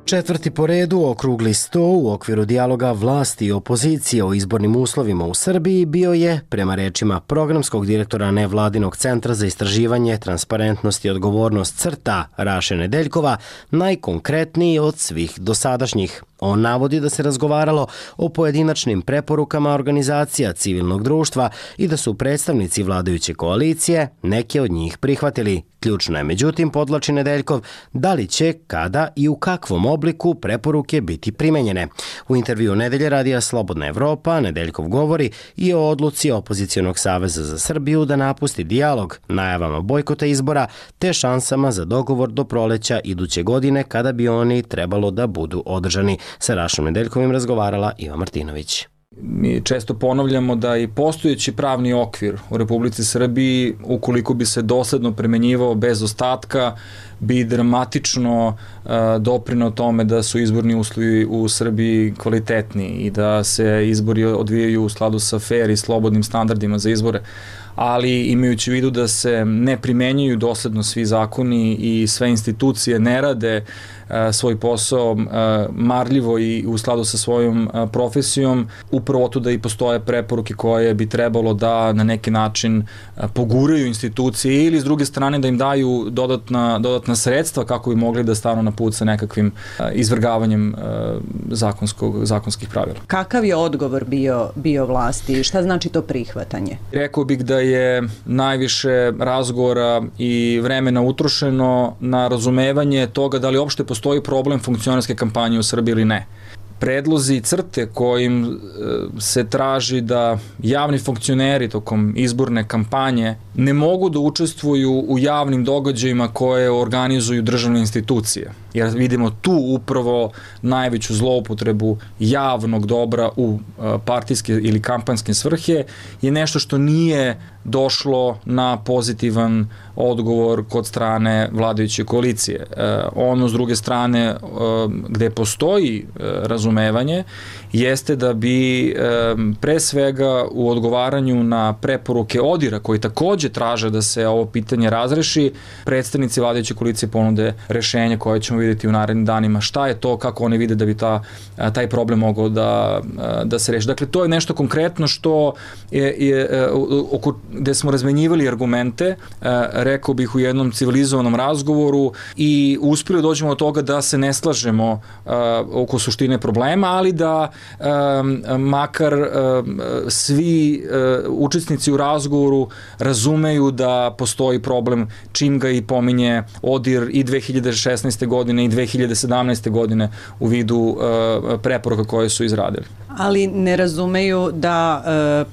Četvrti po redu okrugli sto u okviru dijaloga vlasti i opozicije o izbornim uslovima u Srbiji bio je, prema rečima programskog direktora nevladinog centra za istraživanje transparentnosti i odgovornost CRTA Raše Nedeljkova, najkonkretniji od svih dosadašnjih. On navodi da se razgovaralo o pojedinačnim preporukama organizacija civilnog društva i da su predstavnici vladajuće koalicije neke od njih prihvatili. Ključno je, međutim, podvlači Nedeljkov, da li će, kada i u kakvom obliku preporuke biti primenjene. U intervju Nedelje radija Slobodna Evropa Nedeljkov govori i o odluci Opozicionog saveza za Srbiju da napusti dijalog, najavama bojkota izbora te šansama za dogovor do proleća iduće godine kada bi oni trebalo da budu održani. Sa Rašom Nedeljkovim razgovarala Iva Martinović. Mi često ponavljamo da i postojeći pravni okvir u Republici Srbiji, ukoliko bi se dosledno primenjivao bez ostatka, bi dramatično doprineo tome da su izborni uslovi u Srbiji kvalitetni i da se izbori odvijaju u skladu sa fair i slobodnim standardima za izbore. Ali imajući u vidu da se ne primenjuju dosledno svi zakoni i sve institucije ne rade svoj posao marljivo i u skladu sa svojom profesijom, upravo to da i postoje preporuke koje bi trebalo da na neki način poguraju institucije ili s druge strane da im daju dodatna sredstva kako bi mogli da stanu na put sa nekakvim izvrgavanjem zakonskih pravila. Kakav je odgovor bio vlasti i šta znači to prihvatanje? Rekao bih da je najviše razgovora i vremena utrošeno na razumevanje toga da li uopšte postoji problem funkcionerske kampanje u Srbiji ili ne. Predlozi CRTE kojim se traži da javni funkcioneri tokom izborne kampanje ne mogu da učestvuju u javnim događajima koje organizuju državne institucije. Jer vidimo tu upravo najveću zloupotrebu javnog dobra u partijske ili kampanjske svrhe je nešto što nije došlo na pozitivan odgovor kod strane vladajuće koalicije. Ono s druge strane gde postoji razumevanje jeste da bi pre svega u odgovaranju na preporuke ODIR-a koji takođe traže da se ovo pitanje razreši, predstavnici vladajuće koalicije ponude rešenje koje ćemo vidjeti u narednim danima. Šta je to, kako oni vide da bi taj problem mogao da se reši. Dakle, to je nešto konkretno što gde smo razmenjivali argumente, rekao bih u jednom civilizovanom razgovoru i uspeli dođemo do toga da se ne slažemo oko suštine problema, ali da makar svi učesnici u razgovoru razumeju da postoji problem čim ga i pominje ODIR i 2016. godine i 2017. godine u vidu preporuka koje su izradili. Ali ne razumeju da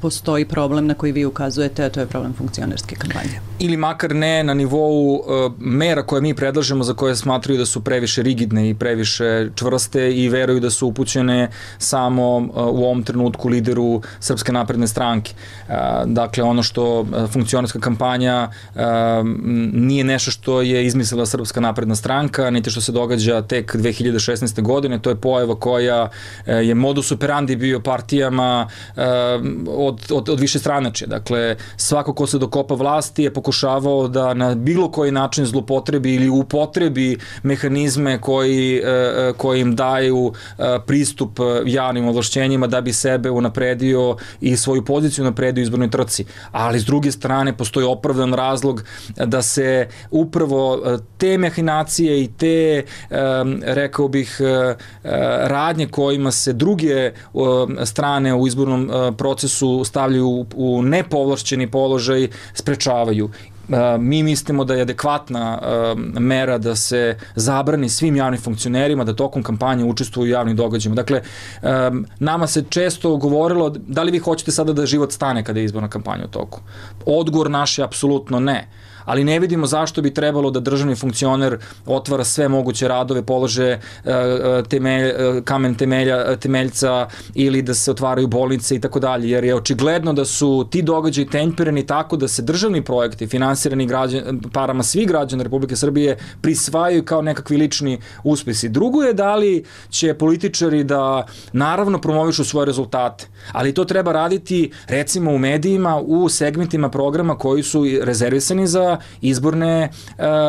postoji problem na koji vi ukazujete, a to je problem funkcionerske kampanje. Ili makar ne na nivou mera koje mi predlažemo za koje smatraju da su previše rigidne i previše čvrste i veruju da su upućene samo u ovom trenutku lideru Srpske napredne stranke. Dakle, ono što funkcionerska kampanja nije nešto što je izmislila Srpska napredna stranka, niti što se događa tek 2016. godine, to je pojava koja je modus operandi bio partijama od više stranačja. Dakle, svako ko se dokopa vlasti je pokušavao da na bilo koji način zlopotrebi ili upotrebi mehanizme koji im daju pristup javnim ovlašćenjima da bi sebe unapredio i svoju poziciju unapredio u izbornoj trci. Ali s druge strane postoji opravdan razlog da se upravo te mehinacije i te, rekao bih, radnje kojima se druge strane u izbornom procesu stavljaju u nepovlašćeni položaj sprečavaju. Mi mislimo da je adekvatna mera da se zabrani svim javnim funkcionerima da tokom kampanje učestvuju u javnim događajima. Dakle, nama se često govorilo da li vi hoćete sada da život stane kada je izborna kampanja u toku. Odgovor naš je apsolutno ne. Ali ne vidimo zašto bi trebalo da državni funkcioner otvara sve moguće radove, polože kamen temeljca ili da se otvaraju bolnice i tako dalje, jer je očigledno da su ti događaji tempirani tako da se državni projekti finansirani parama svih građana Republike Srbije prisvajaju kao nekakvi lični uspesi. Drugo je da li će političari da naravno promovišu svoje rezultate, ali to treba raditi recimo u medijima, u segmentima programa koji su rezervisani za izborne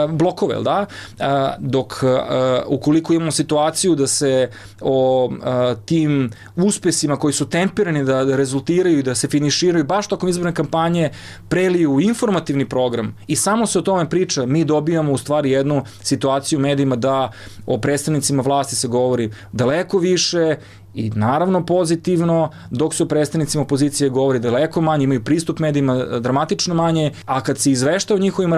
blokove, da? Dok ukoliko imamo situaciju da se o tim uspesima koji su tempirani da rezultiraju i da se finiširaju baš tokom izborne kampanje preliju u informativni program i samo se o tome priča, mi dobijamo u stvari jednu situaciju u medijima da o predstavnicima vlasti se govori daleko više i naravno pozitivno, dok se o predstavnicima opozicije govori daleko manje, imaju pristup medijima dramatično manje, a kad se izvešta o njihovim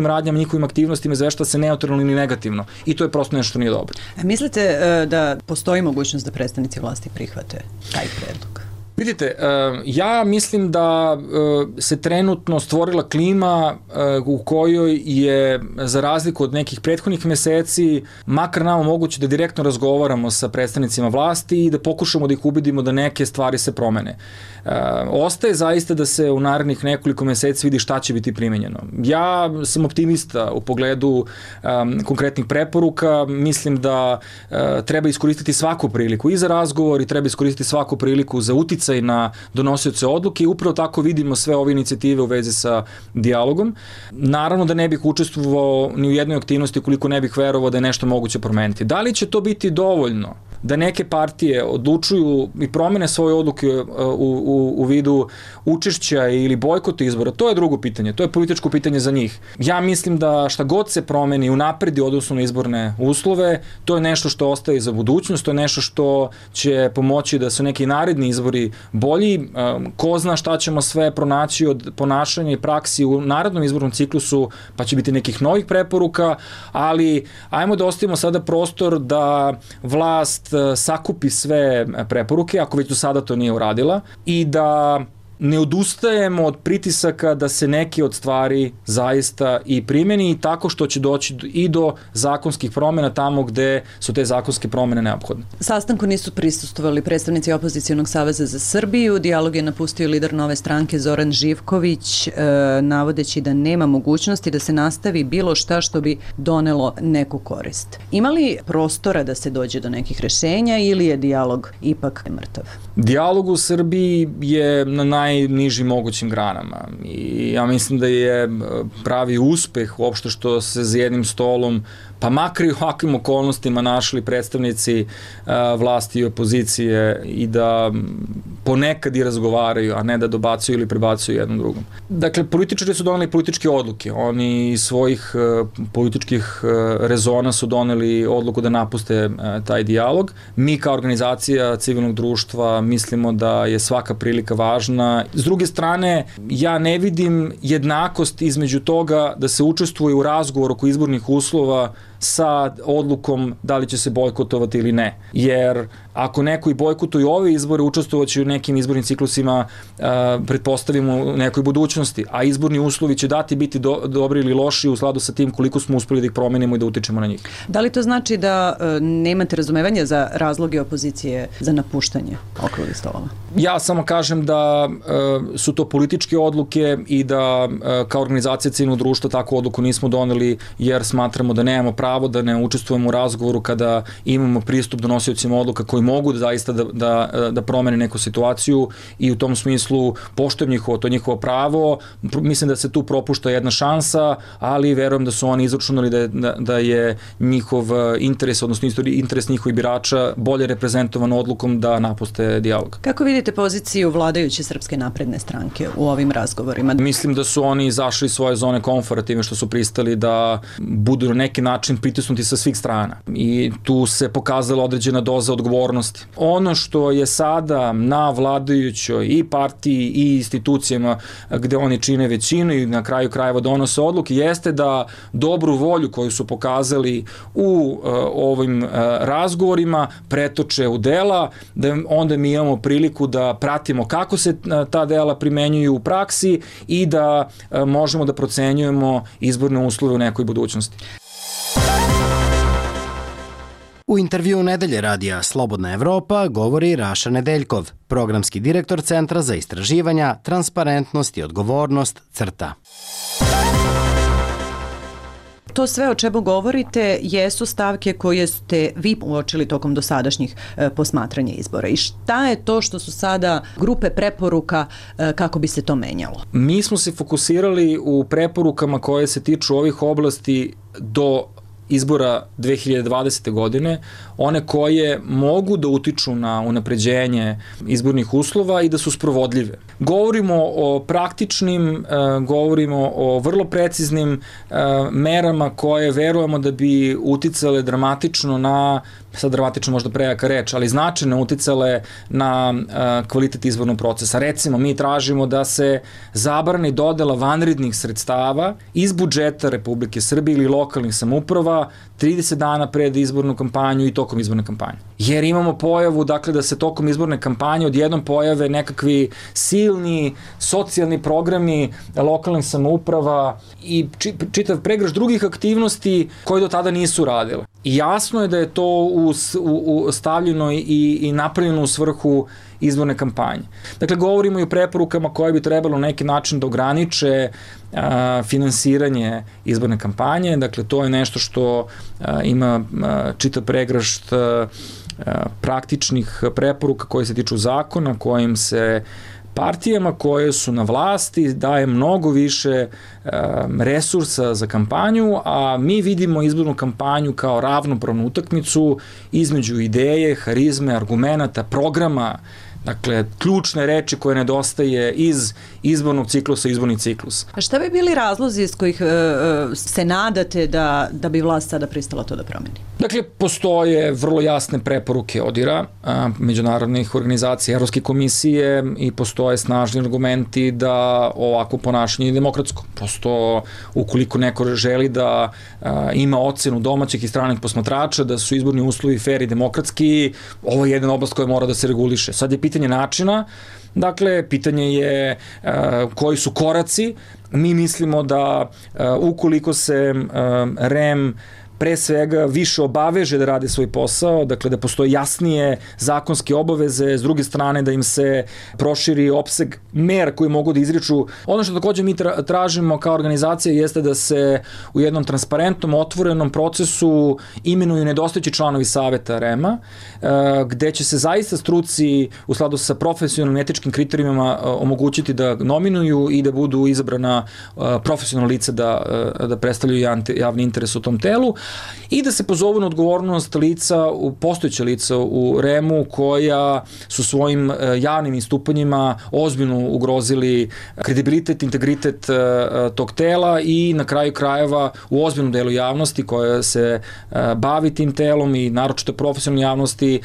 radnjama, njihovim aktivnostima, izvešta se neutralno ili negativno. I to je prosto nešto što nije dobro. Mislite da postoji mogućnost da predstavnici vlasti prihvate taj predlog? Vidite, ja mislim da se trenutno stvorila klima u kojoj je, za razliku od nekih prethodnih meseci, makar nama moguće da direktno razgovaramo sa predstavnicima vlasti i da pokušamo da ih ubedimo da neke stvari se promene. Ostaje zaista da se u narednih nekoliko meseci vidi šta će biti primenjeno. Ja sam optimista u pogledu konkretnih preporuka, mislim da treba iskoristiti svaku priliku i za razgovor i treba iskoristiti svaku priliku za uticaj na donosioce odluke i upravo tako vidimo sve ove inicijative u vezi sa dijalogom. Naravno da ne bih učestvovao ni u jednoj aktivnosti koliko ne bih verovao da je nešto moguće promeniti. Da li će to biti dovoljno da neke partije odlučuju i promene svoje odluke u vidu učešća ili bojkota izbora, to je drugo pitanje, to je političko pitanje za njih. Ja mislim da šta god se promeni unapredi odnosno na izborne uslove, to je nešto što ostaje za budućnost, to je nešto što će pomoći da su neki naredni izbori bolji. Ko zna šta ćemo sve pronaći od ponašanja i praksi u narednom izbornom ciklusu, pa će biti nekih novih preporuka, ali ajmo da ostavimo sada prostor da vlast sakupi sve preporuke, ako već do sada to nije uradila, i da ne odustajemo od pritisaka da se neke od stvari zaista i primeni i tako što će doći i do zakonskih promjena tamo gde su te zakonske promjene neophodne. Sastanku nisu prisustvovali predstavnici Opozicijonog saveza za Srbiju. Dijalog je napustio lider Nove stranke Zoran Živković, navodeći da nema mogućnosti da se nastavi bilo šta što bi donelo neku korist. Ima li prostora da se dođe do nekih rešenja ili je dijalog ipak mrtav? Dijalog u Srbiji je na najnižim mogućim granama i ja mislim da je pravi uspeh uopšte što se za jednim stolom, pa makar i u ovakvim okolnostima, našli predstavnici vlasti i opozicije i da ponekad i razgovaraju, a ne da dobacuju ili prebacuju jednom drugom. Dakle, političari su doneli političke odluke. Oni iz svojih političkih rezona su doneli odluku da napuste taj dijalog. Mi kao organizacija civilnog društva mislimo da je svaka prilika važna. S druge strane, ja ne vidim jednakost između toga da se učestvuje u razgovoru oko izbornih uslova sa odlukom da li će se bojkotovati ili ne. Jer ako neko i bojkotuju ove izbore, učestvovaće u nekim izbornim ciklusima, pretpostavimo, u nekoj budućnosti, a izborni uslovi će biti dobri ili loši u skladu sa tim koliko smo uspeli da ih promenimo i da utičemo na njih. Da li to znači da nemate razumevanja za razloge opozicije za napuštanje okruglih stolova? Ja samo kažem da su to političke odluke i da kao organizacija civilnog društva takvu odluku nismo doneli jer smatramo da nemamo pravo da ne učestvujemo u razgovoru kada imamo pristup donosiocima odluka koji mogu zaista da promene neku situaciju i u tom smislu poštujem njihovo, to je njihovo pravo. Mislim da se tu propušta jedna šansa, ali verujem da su oni izračunali da je njihov interes, odnosno interes njihovih birača bolje reprezentovan odlukom da napuste dijalog. Kako vidite poziciju vladajuće Srpske napredne stranke u ovim razgovorima? Mislim da su oni izašli iz svoje zone komfora time što su pristali da budu na neki način pritisnuti sa svih strana i tu se pokazala određena doza odgovornosti. Ono što je sada na vladajućoj i partiji i institucijama gde oni čine većinu i na kraju krajeva donose odluke jeste da dobru volju koju su pokazali u ovim razgovorima pretoče u dela, da onda mi imamo priliku da pratimo kako se ta dela primenjuju u praksi i da možemo da procenjujemo izborne uslove u nekoj budućnosti. U intervju Nedelje radija Slobodna Evropa govori Raša Nedeljkov, programski direktor Centra za istraživanja, transparentnost i odgovornost CRTA. To sve o čemu govorite jesu stavke koje ste vi uočili tokom dosadašnjih posmatranja izbora. I šta je to što su sada grupe preporuka kako bi se to menjalo? Mi smo se fokusirali u preporukama koje se tiču ovih oblasti do izbora 2020. godine, one koje mogu da utiču na unapređenje izbornih uslova i da su sprovodljive. Govorimo o praktičnim, govorimo o vrlo preciznim merama koje verujemo da bi uticale dramatično na, sad dramatično možda prejaka reč, ali značajno uticale na kvalitet izbornog procesa. Recimo, mi tražimo da se zabrani dodela vanrednih sredstava iz budžeta Republike Srbije ili lokalnih samouprava 30 dana pred izbornu kampanju i tokom izborne kampanje. Jer imamo pojavu, dakle, da se tokom izborne kampanje odjednom pojave nekakvi silni socijalni programi lokalnih samouprava i čitav pregršt drugih aktivnosti koje do tada nisu radile. I jasno je da je to stavljeno i napravljeno u svrhu izborne kampanje. Dakle, govorimo i o preporukama koje bi trebalo na neki način da ograniče finansiranje izborne kampanje. Dakle, to je nešto što ima čitav pregršt praktičnih preporuka koje se tiču zakona, kojim se partijama koje su na vlasti daje mnogo više resursa za kampanju, a mi vidimo izbornu kampanju kao ravnopravnu utakmicu između ideje, harizme, argumenata, programa, dakle, ključne reči koje nedostaje iz izbornog ciklusa, izborni ciklus. A šta bi bili razlozi iz kojih se nadate da bi vlast sada pristala to da promeni? Dakle, postoje vrlo jasne preporuke ODIR-a, međunarodnih organizacija, Evropske komisije i postoje snažni argumenti da ovako ponašanje je demokratsko. Prosto, ukoliko neko želi da ima ocenu domaćih i stranih posmatrača, da su izborni uslovi fair i demokratski, ovo je jedna oblast koja mora da se reguliše. Sad je pitanje načina, dakle, pitanje je koji su koraci. Mi mislimo da ukoliko se REM pre svega više obaveže da rade svoj posao, dakle da postoje jasnije zakonske obaveze, s druge strane da im se proširi opseg mera koji mogu da izriču. Ono što takođe mi tražimo kao organizacija jeste da se u jednom transparentnom, otvorenom procesu imenuju nedostajući članovi saveta REM-a, gde će se zaista struci u skladu sa profesionalnim etičkim kriterijima omogućiti da nominuju i da budu izabrana profesionalna lica da predstavljaju javni interes u tom telu i da se pozovu na odgovornost postojeće lica u REM-u koja su svojim javnim istupanjima ozbiljno ugrozili kredibilitet, integritet tog tela i na kraju krajeva u ozbiljnom delu javnosti koja se bavi tim telom i naročito profesionalne javnosti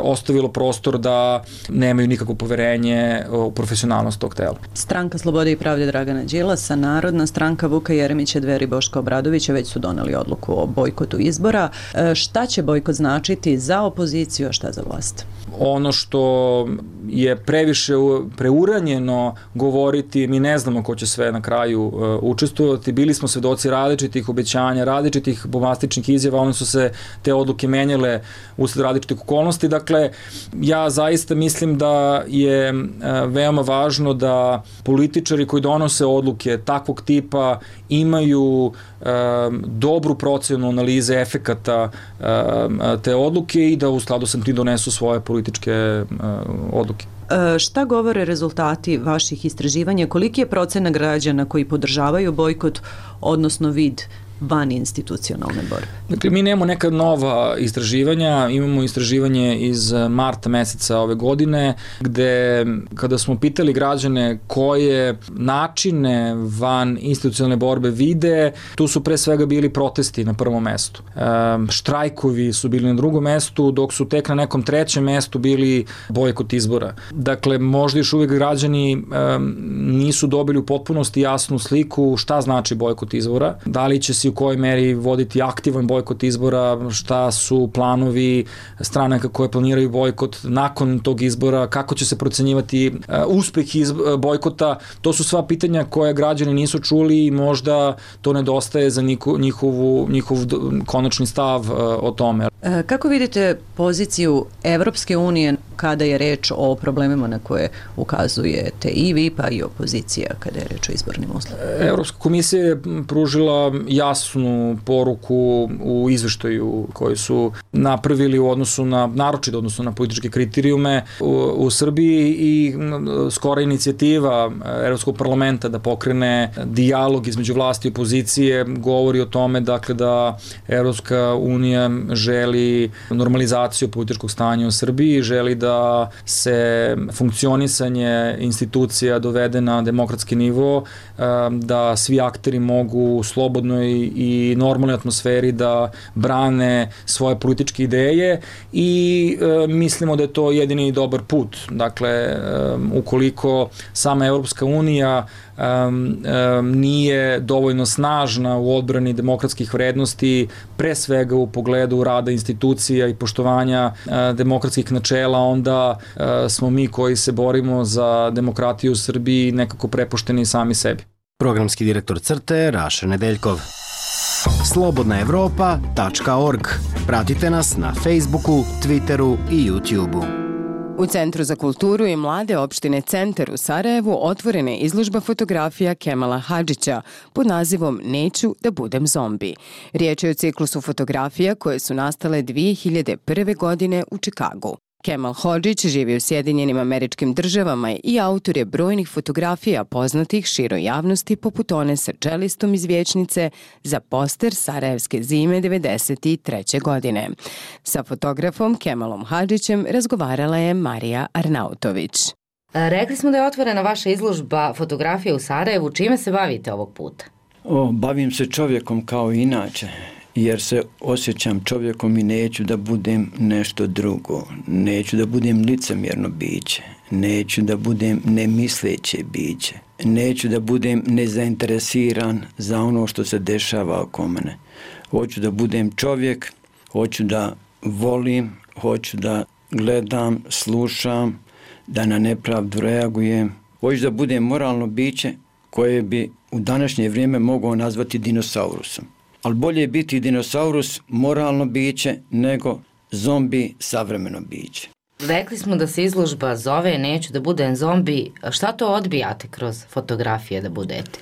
ostavilo prostor da nemaju nikakvo poverenje u profesionalnost tog tela. Stranka Slobode i pravde Dragana Đilasa, Narodna stranka Vuka Jeremića, Dveri Boška Obradovića već su doneli odluku o bojkotu izbora. Šta će bojkot značiti za opoziciju, a šta za vlast? Ono što je previše preuranjeno govoriti, mi ne znamo ko će sve na kraju učestvovati, bili smo svedoci različitih obećanja, različitih bombastičnih izjava, one su se te odluke menjale usled različitih okolnosti. Dakle, ja zaista mislim da je veoma važno da političari koji donose odluke takvog tipa imaju dobru procenu analize efekata te odluke i da u skladu sa tim donesu svoje političke odluke. Šta govore rezultati vaših istraživanja? Koliki je procenat građana koji podržavaju bojkot, odnosno vid van institucionalne borbe? Dakle, mi nemamo neka nova istraživanja, imamo istraživanje iz marta meseca ove godine, gde kada smo pitali građane koje načine van institucionalne borbe vide, tu su pre svega bili protesti na prvom mestu. Štrajkovi su bili na drugom mestu, dok su tek na nekom trećem mestu bili bojkot izbora. Dakle, možda još uvijek građani nisu dobili u potpunosti jasnu sliku šta znači bojkot izbora, da li će se u kojoj meri voditi aktivan bojkot izbora, šta su planovi stranaka koje planiraju bojkot nakon tog izbora, kako će se procenjivati uspeh bojkota. To su sva pitanja koje građani nisu čuli i možda to nedostaje za njihov konačni stav o tome. Kako vidite poziciju Evropske unije kada je reč o problemima na koje ukazujete i vi pa i opozicija kada je reč o izbornim uslovima? Evropska komisija je pružila jasnu poruku u izveštaju koji su napravili u odnosu na, naročito odnosu na političke kriterijume u Srbiji i skora inicijativa Evropskog parlamenta da pokrene dijalog između vlasti i opozicije govori o tome dakle da Evropska unija želi normalizaciju političkog stanja u Srbiji, želi da se funkcionisanje institucija dovede na demokratski nivo, da svi akteri mogu u slobodnoj i normalnoj atmosferi da brane svoje političke ideje i mislimo da je to jedini dobar put. Dakle, ukoliko sama Evropska unija nije dovoljno snažna u odbrani demokratskih vrednosti, pre svega u pogledu rada institucija i poštovanja demokratskih načela, onda smo mi koji se borimo za demokratiju u Srbiji nekako prepušteni sami sebi. Programski direktor CRTE Raša Nedeljkov. Slobodnaevropa.org. Pratite nas na Facebooku, Twitteru i YouTubeu. U Centru za kulturu i mlade opštine Centar u Sarajevu otvorena je izložba fotografija Kemala Hadžića pod nazivom Neću da budem zombi. Riječ je o ciklusu fotografija koje su nastale 2001. godine u Čikagu. Kemal Hodžić živi u Sjedinjenim Američkim Državama i autor je brojnih fotografija poznatih široj javnosti poput one sa čelistom iz Vječnice za poster Sarajevske zime 1993. godine. Sa fotografom Kemalom Hadžićem razgovarala je Marija Arnautović. Rekli smo da je otvorena vaša izložba fotografija u Sarajevu. Čime se bavite ovog puta? Bavim se čovjekom kao inače. Jer se osjećam čovjekom i neću da budem nešto drugo. Neću da budem licemjerno biće. Neću da budem nemisleće biće. Neću da budem nezainteresiran za ono što se dešava oko mene. Hoću da budem čovjek, hoću da volim, hoću da gledam, slušam, da na nepravdu reagujem. Hoću da budem moralno biće koje bi u današnje vrijeme mogao nazvati dinosaurusom. Ali bolje je biti dinosaurus, moralno biće, nego zombi, savremeno biće. Rekli smo da se izložba zove Neću da budem zombi. Šta to odbijate kroz fotografije da budete?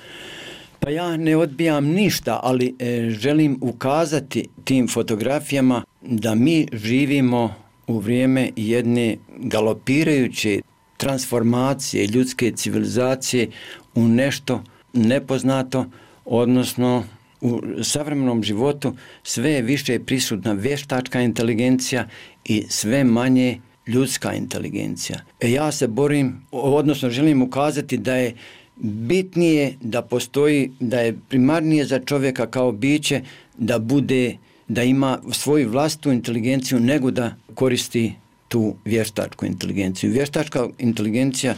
Pa ja ne odbijam ništa, ali želim ukazati tim fotografijama da mi živimo u vrijeme jedne galopirajuće transformacije ljudske civilizacije u nešto nepoznato, odnosno u savremenom životu sve je više prisutna vještačka inteligencija i sve manje ljudska inteligencija. Ja se borim, odnosno želim ukazati da je bitnije da postoji, da je primarnije za čovjeka kao biće da ima svoju vlastitu inteligenciju nego da koristi tu vještačku inteligenciju. Vještačka inteligencija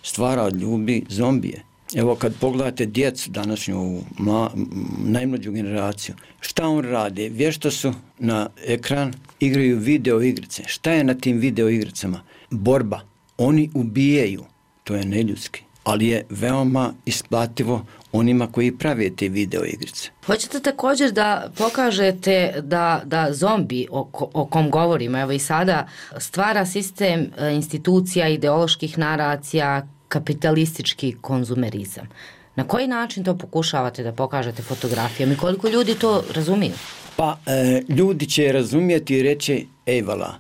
stvara od ljudi zombije. Evo kad pogledate djecu današnju, najmlađu generaciju, šta on radi? Vješto su na ekran, igraju video igrice. Šta je na tim video igricama? Borba. Oni ubijaju. To je neljudski. Ali je veoma isplativo onima koji prave te video igrice. Hoćete također da pokažete da zombi o kom govorimo, evo i sada, stvara sistem institucija, ideoloških naracija, kapitalistički konzumerizam. Na koji način to pokušavate da pokažete fotografijom i koliko ljudi to razumiju? Pa ljudi će razumijeti i reći ejvala,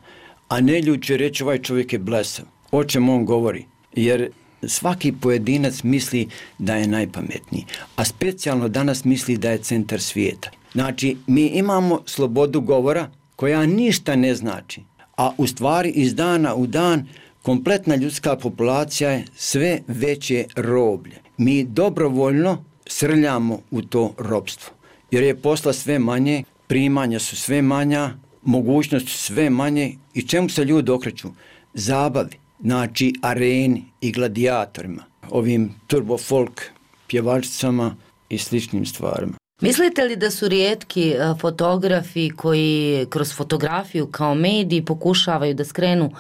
a ne ljudi će reći ovaj čovjek je blesav. O čemu on govori? Jer svaki pojedinac misli da je najpametniji, a specijalno danas misli da je centar svijeta. Znači, mi imamo slobodu govora koja ništa ne znači, a u stvari iz dana u dan kompletna ljudska populacija je sve veće roblje. Mi dobrovoljno srljamo u to ropstvo, jer je posla sve manje, primanja su sve manja, mogućnosti su sve manje i čemu se ljudi okreću? Zabavi, znači areni i gladijatorima, ovim turbo folk pjevačicama i sličnim stvarima. Mislite li da su rijetki fotografi koji kroz fotografiju kao mediji pokušavaju da skrenu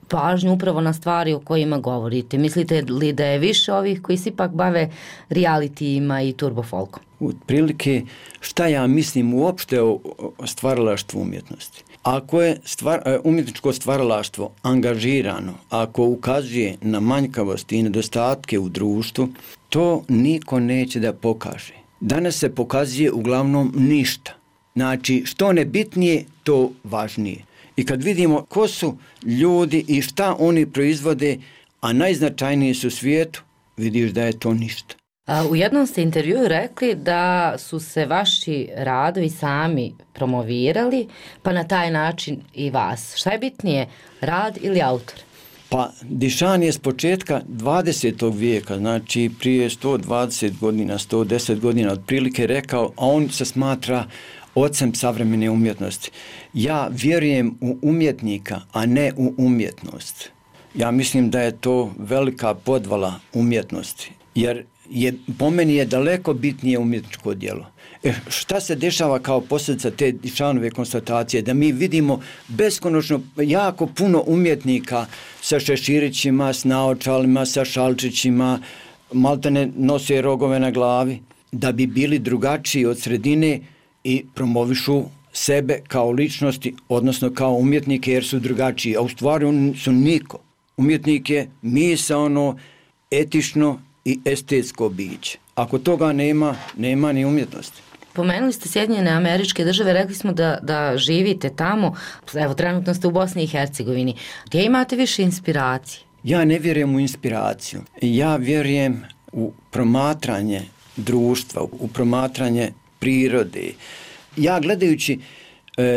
pažnju upravo na stvari o kojima govorite? Mislite li da je više ovih koji se ipak bave realitijima i turbofolkom? Otprilike, šta ja mislim uopšte o stvaralaštvu umjetnosti? Ako je umjetničko stvaralaštvo angažirano, ako ukazuje na manjkavosti i nedostatke u društvu, to niko neće da pokaže. Danas se pokazuje uglavnom ništa. Znači, što nebitnije, to važnije. I kad vidimo ko su ljudi i šta oni proizvode, a najznačajniji su u svijetu, vidiš da je to ništa. U jednom ste intervjuu rekli da su se vaši radovi sami promovirali, pa na taj način i vas. Šta je bitnije, rad ili autor? Pa Dišan je s početka 20. vijeka, znači prije 120 godina, 110 godina otprilike rekao, a on se smatra ocem savremene umjetnosti. Ja vjerujem u umjetnika, a ne u umjetnost. Ja mislim da je to velika podvala umjetnosti, jer po meni je daleko bitnije umjetničko djelo. Šta se dešava kao posljedica te Dišanove konstatacije? Da mi vidimo beskonačno jako puno umjetnika sa šeširićima, s naočalima, sa šalčićima, maltene nose rogove na glavi, da bi bili drugačiji od sredine i promovišu sebe kao ličnosti, odnosno kao umjetnike jer su drugačiji, a u stvari oni su niko. Umjetnik je misaono, etično i estetsko biće. Ako toga nema ni umjetnosti. Pomenuli ste Sjedinjene Američke Države, rekli smo da živite tamo, evo trenutno ste u Bosni i Hercegovini. Gdje imate više inspiracije? Ja ne vjerujem u inspiraciju. Ja vjerujem u promatranje društva, u promatranje prirode. Ja gledajući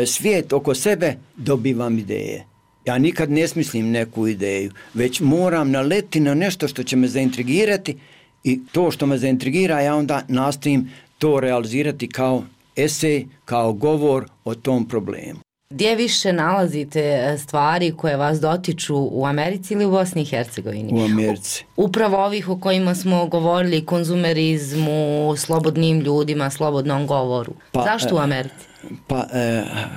svijet oko sebe dobivam ideje. Ja nikad ne smislim neku ideju, već moram naleti na nešto što će me zaintrigirati i to što me zaintrigira ja onda nastojim to realizirati kao esej, kao govor o tom problemu. Gdje više nalazite stvari koje vas dotiču, u Americi ili u Bosni i Hercegovini? U Americi. Upravo ovih o kojima smo govorili, konzumerizmu, slobodnim ljudima, slobodnom govoru. Zašto u Americi?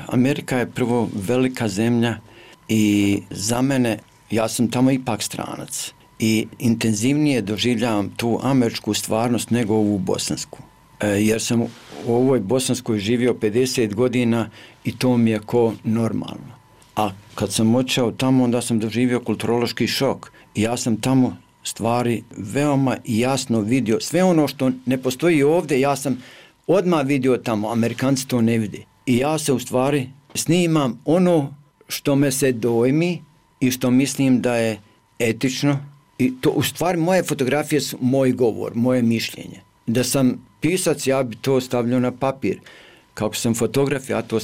Amerika je prvo velika zemlja i za mene, ja sam tamo ipak stranac i intenzivnije doživljavam tu američku stvarnost nego ovu bosansku. Jer sam u ovoj bosanskoj živio 50 godina i to mi je ko normalno. A kad sam otišao tamo, onda sam doživio kulturološki šok. I ja sam tamo stvari veoma jasno vidio. Sve ono što ne postoji ovdje, ja sam odmah vidio tamo. Amerikanci to ne vide. I ja se u stvari snimam ono što me se dojmi i što mislim da je etično. I to u stvari moje fotografije su moj govor, moje mišljenje. Da sam pisac, ja bi to stavljao na papir. Kako sam fotograf, ja to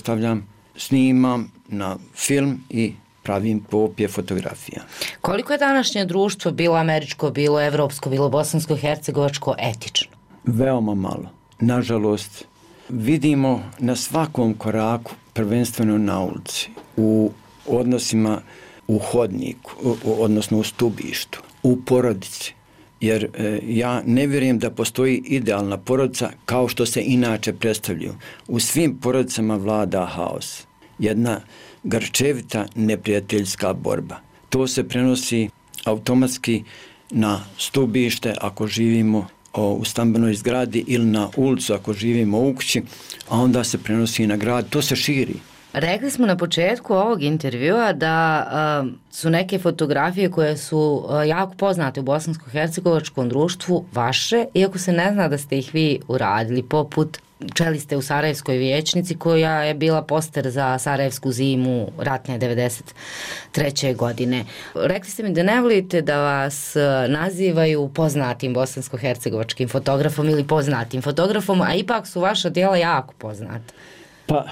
snimam na film i pravim kopije fotografija. Koliko je današnje društvo, bilo američko, bilo evropsko, bilo bosansko-hercegovačko, etično? Veoma malo. Nažalost, vidimo na svakom koraku, prvenstveno na ulici, u odnosima u hodniku, odnosno u stubištu, u porodici. jer ja ne vjerujem da postoji idealna porodica kao što se inače predstavljaju. U svim porodicama vlada haos. Jedna grčevita neprijateljska borba. To se prenosi automatski na stubište ako živimo u stambenoj zgradi ili na ulicu ako živimo u kući, a onda se prenosi na grad. To se širi. Rekli smo na početku ovog intervjua da su neke fotografije koje su jako poznate u bosansko-hercegovačkom društvu vaše, iako se ne zna da ste ih vi uradili, poput čeliste u Sarajevskoj vijećnici koja je bila poster za Sarajevsku zimu ratne 93. godine. Rekli ste mi da ne volite da vas nazivaju poznatim bosansko-hercegovačkim fotografom ili poznatim fotografom, a ipak su vaša djela jako poznata. Pa,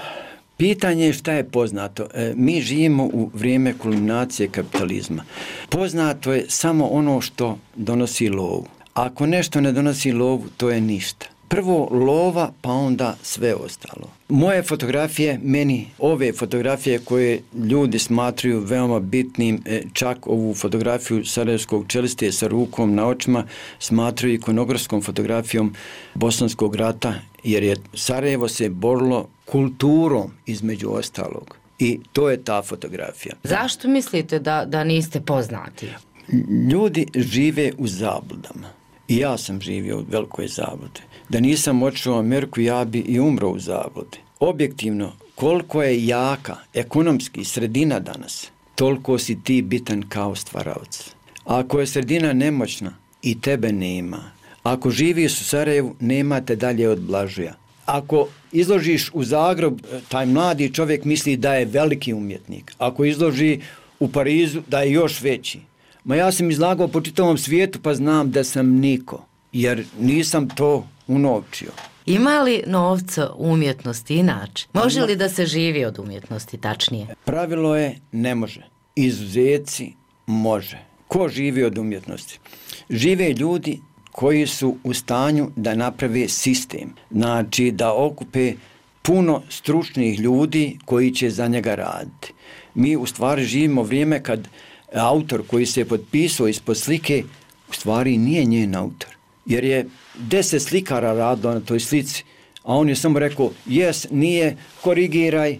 pitanje je šta je poznato. Mi živimo u vrijeme kulminacije kapitalizma. Poznato je samo ono što donosi lovu. Ako nešto ne donosi lovu, to je ništa. Prvo lova, pa onda sve ostalo. Moje fotografije, meni ove fotografije koje ljudi smatruju veoma bitnim, čak ovu fotografiju sarajevskog čeliste sa rukom na očima smatruju ikonografskom fotografijom Bosanskog rata, jer je Sarajevo se borilo kulturom između ostalog. I to je ta fotografija. Zašto mislite da niste poznati? Ljudi žive u zabludama. I ja sam živio u velikoj zabludi. Da nisam otišao u Ameriku, ja bi i umro u zabludi. Objektivno, koliko je jaka ekonomski sredina danas, toliko si ti bitan kao stvaralac. Ako je sredina nemoćna, i tebe nema. Ako živiš u Sarajevu, nema te dalje od Blažuja. Ako izložiš u Zagreb, taj mladi čovjek misli da je veliki umjetnik. Ako izloži u Parizu, da je još veći. Ma ja sam izlagao po čitavom svijetu, pa znam da sam niko, jer nisam to unovčio. Ima li novca u umjetnosti inače? Može li da se živi od umjetnosti, tačnije? Pravilo je ne može. Izuzeci može. Ko živi od umjetnosti? Žive ljudi koji su u stanju da naprave sistem. Znači da okupe puno stručnih ljudi koji će za njega raditi. Mi u stvari živimo vrijeme kad autor koji se je potpisao ispod slike u stvari nije njen autor. Jer je 10 slikara radilo na toj slici, a on je samo rekao jes, nije, korigiraj,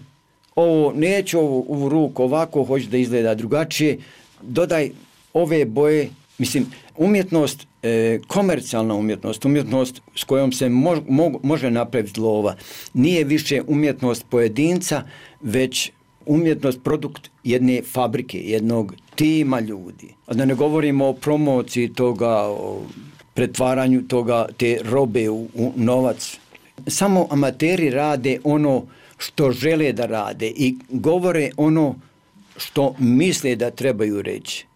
ovo, neću ovu ruku ovako, hoću da izgleda drugačije, dodaj ove boje. Mislim, umjetnost, komercijalna umjetnost, umjetnost s kojom se može napraviti lova, nije više umjetnost pojedinca, već umjetnost, produkt jedne fabrike, jednog tima ljudi. A da ne govorimo o promociji toga, o pretvaranju toga, te robe u novac. Samo amateri rade ono što žele da rade i govore ono što misle da trebaju reći.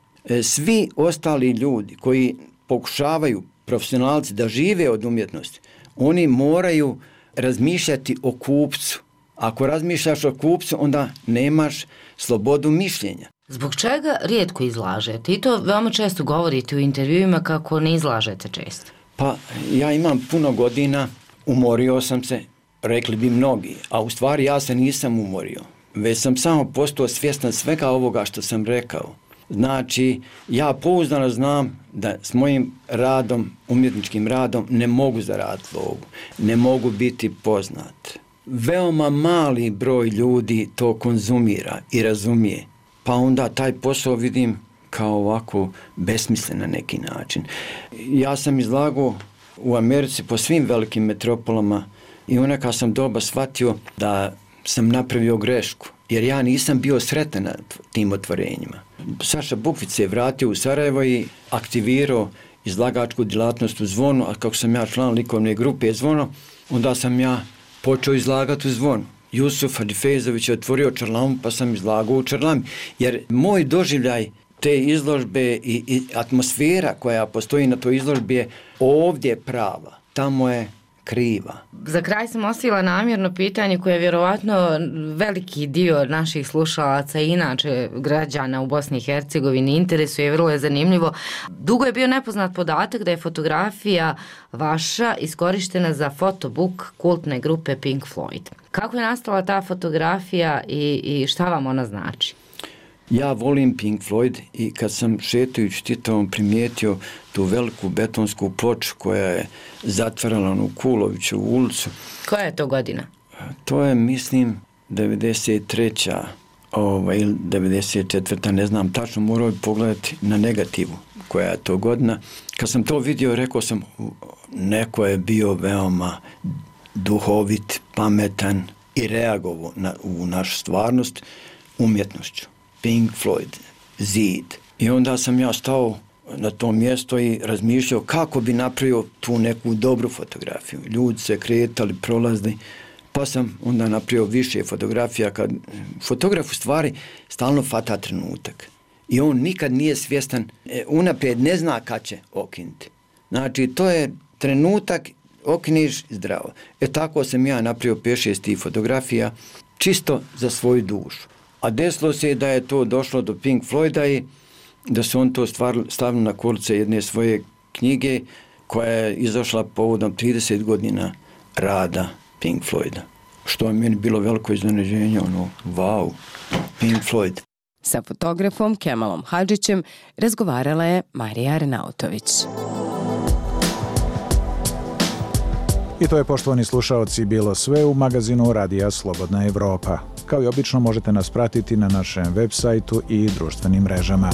Svi ostali ljudi koji pokušavaju, profesionalci, da žive od umjetnosti, oni moraju razmišljati o kupcu. Ako razmišljaš o kupcu, onda nemaš slobodu mišljenja. Zbog čega rijetko izlažete? I to veoma često govorite u intervjuima kako ne izlažete često. Pa ja imam puno godina, umorio sam se, rekli bi mnogi, a u stvari ja se nisam umorio. Već sam samo postao svjestan svega ovoga što sam rekao. Znači, ja pouzdano znam da s mojim radom, umjetničkim radom, ne mogu zaraditi lovu, ne mogu biti poznat. Veoma mali broj ljudi to konzumira i razumije, pa onda taj posao vidim kao ovako besmislen na neki način. Ja sam izlagao u Americi po svim velikim metropolama i onda kad sam doba shvatio da sam napravio grešku, jer ja nisam bio sretan na tim otvorenjima. Saša Bukvić se je vratio u Sarajevo i aktivirao izlagačku djelatnost u Zvonu, a kako sam ja član likovne grupe Zvono, onda sam ja počeo izlagati u Zvonu. Jusuf Hadifezović je otvorio čarlamu, pa sam izlagao u čarlami. Jer moj doživljaj te izložbe i atmosfera koja postoji na toj izložbi je ovdje prava, tamo je kriva. Za kraj sam ostavila namjerno pitanje koje je vjerovatno veliki dio naših slušalaca i inače građana u Bosni i Hercegovini interesuje, vrlo je zanimljivo. Dugo je bio nepoznat podatak da je fotografija vaša iskorištena za fotobook kultne grupe Pink Floyd. Kako je nastala ta fotografija i šta vam ona znači? Ja volim Pink Floyd i kad sam šetajući Titovom primijetio tu veliku betonsku ploču koja je zatvarala onu Kulovićevu ulicu. Koja je to godina? To je, mislim, 93. Ili 94. ne znam tačno, morao bi pogledati na negativu koja je to godina. Kad sam to vidio, rekao sam, neko je bio veoma duhovit, pametan i reagovao u našu stvarnost umjetnošću. Pink Floyd, Zid. I onda sam ja stao na to mjesto i razmišljao kako bi napravio tu neku dobru fotografiju. Ljudi se kretali, prolazili, pa sam onda napravio više fotografija. Fotograf u stvari stalno fata trenutak. I on nikad nije svjestan, unaprijed ne zna kad će okinuti. Znači, to je trenutak, okiniš zdravo. Tako sam ja napravio 5-6 tih fotografija, čisto za svoju dušu. A desilo se da je to došlo do Pink Floyda i da su on to stavili na kolice jedne svoje knjige koja je izašla povodom 30 godina rada Pink Floyda. Što je meni bilo veliko iznenađenje, wow, Pink Floyd. Sa fotografom Kemalom Hadžićem razgovarala je Marija Arnautović. I to je, poštovani slušaoci, bilo sve u magazinu Radija Slobodna Evropa. Kao i obično možete nas pratiti na našem web sajtu i društvenim mrežama.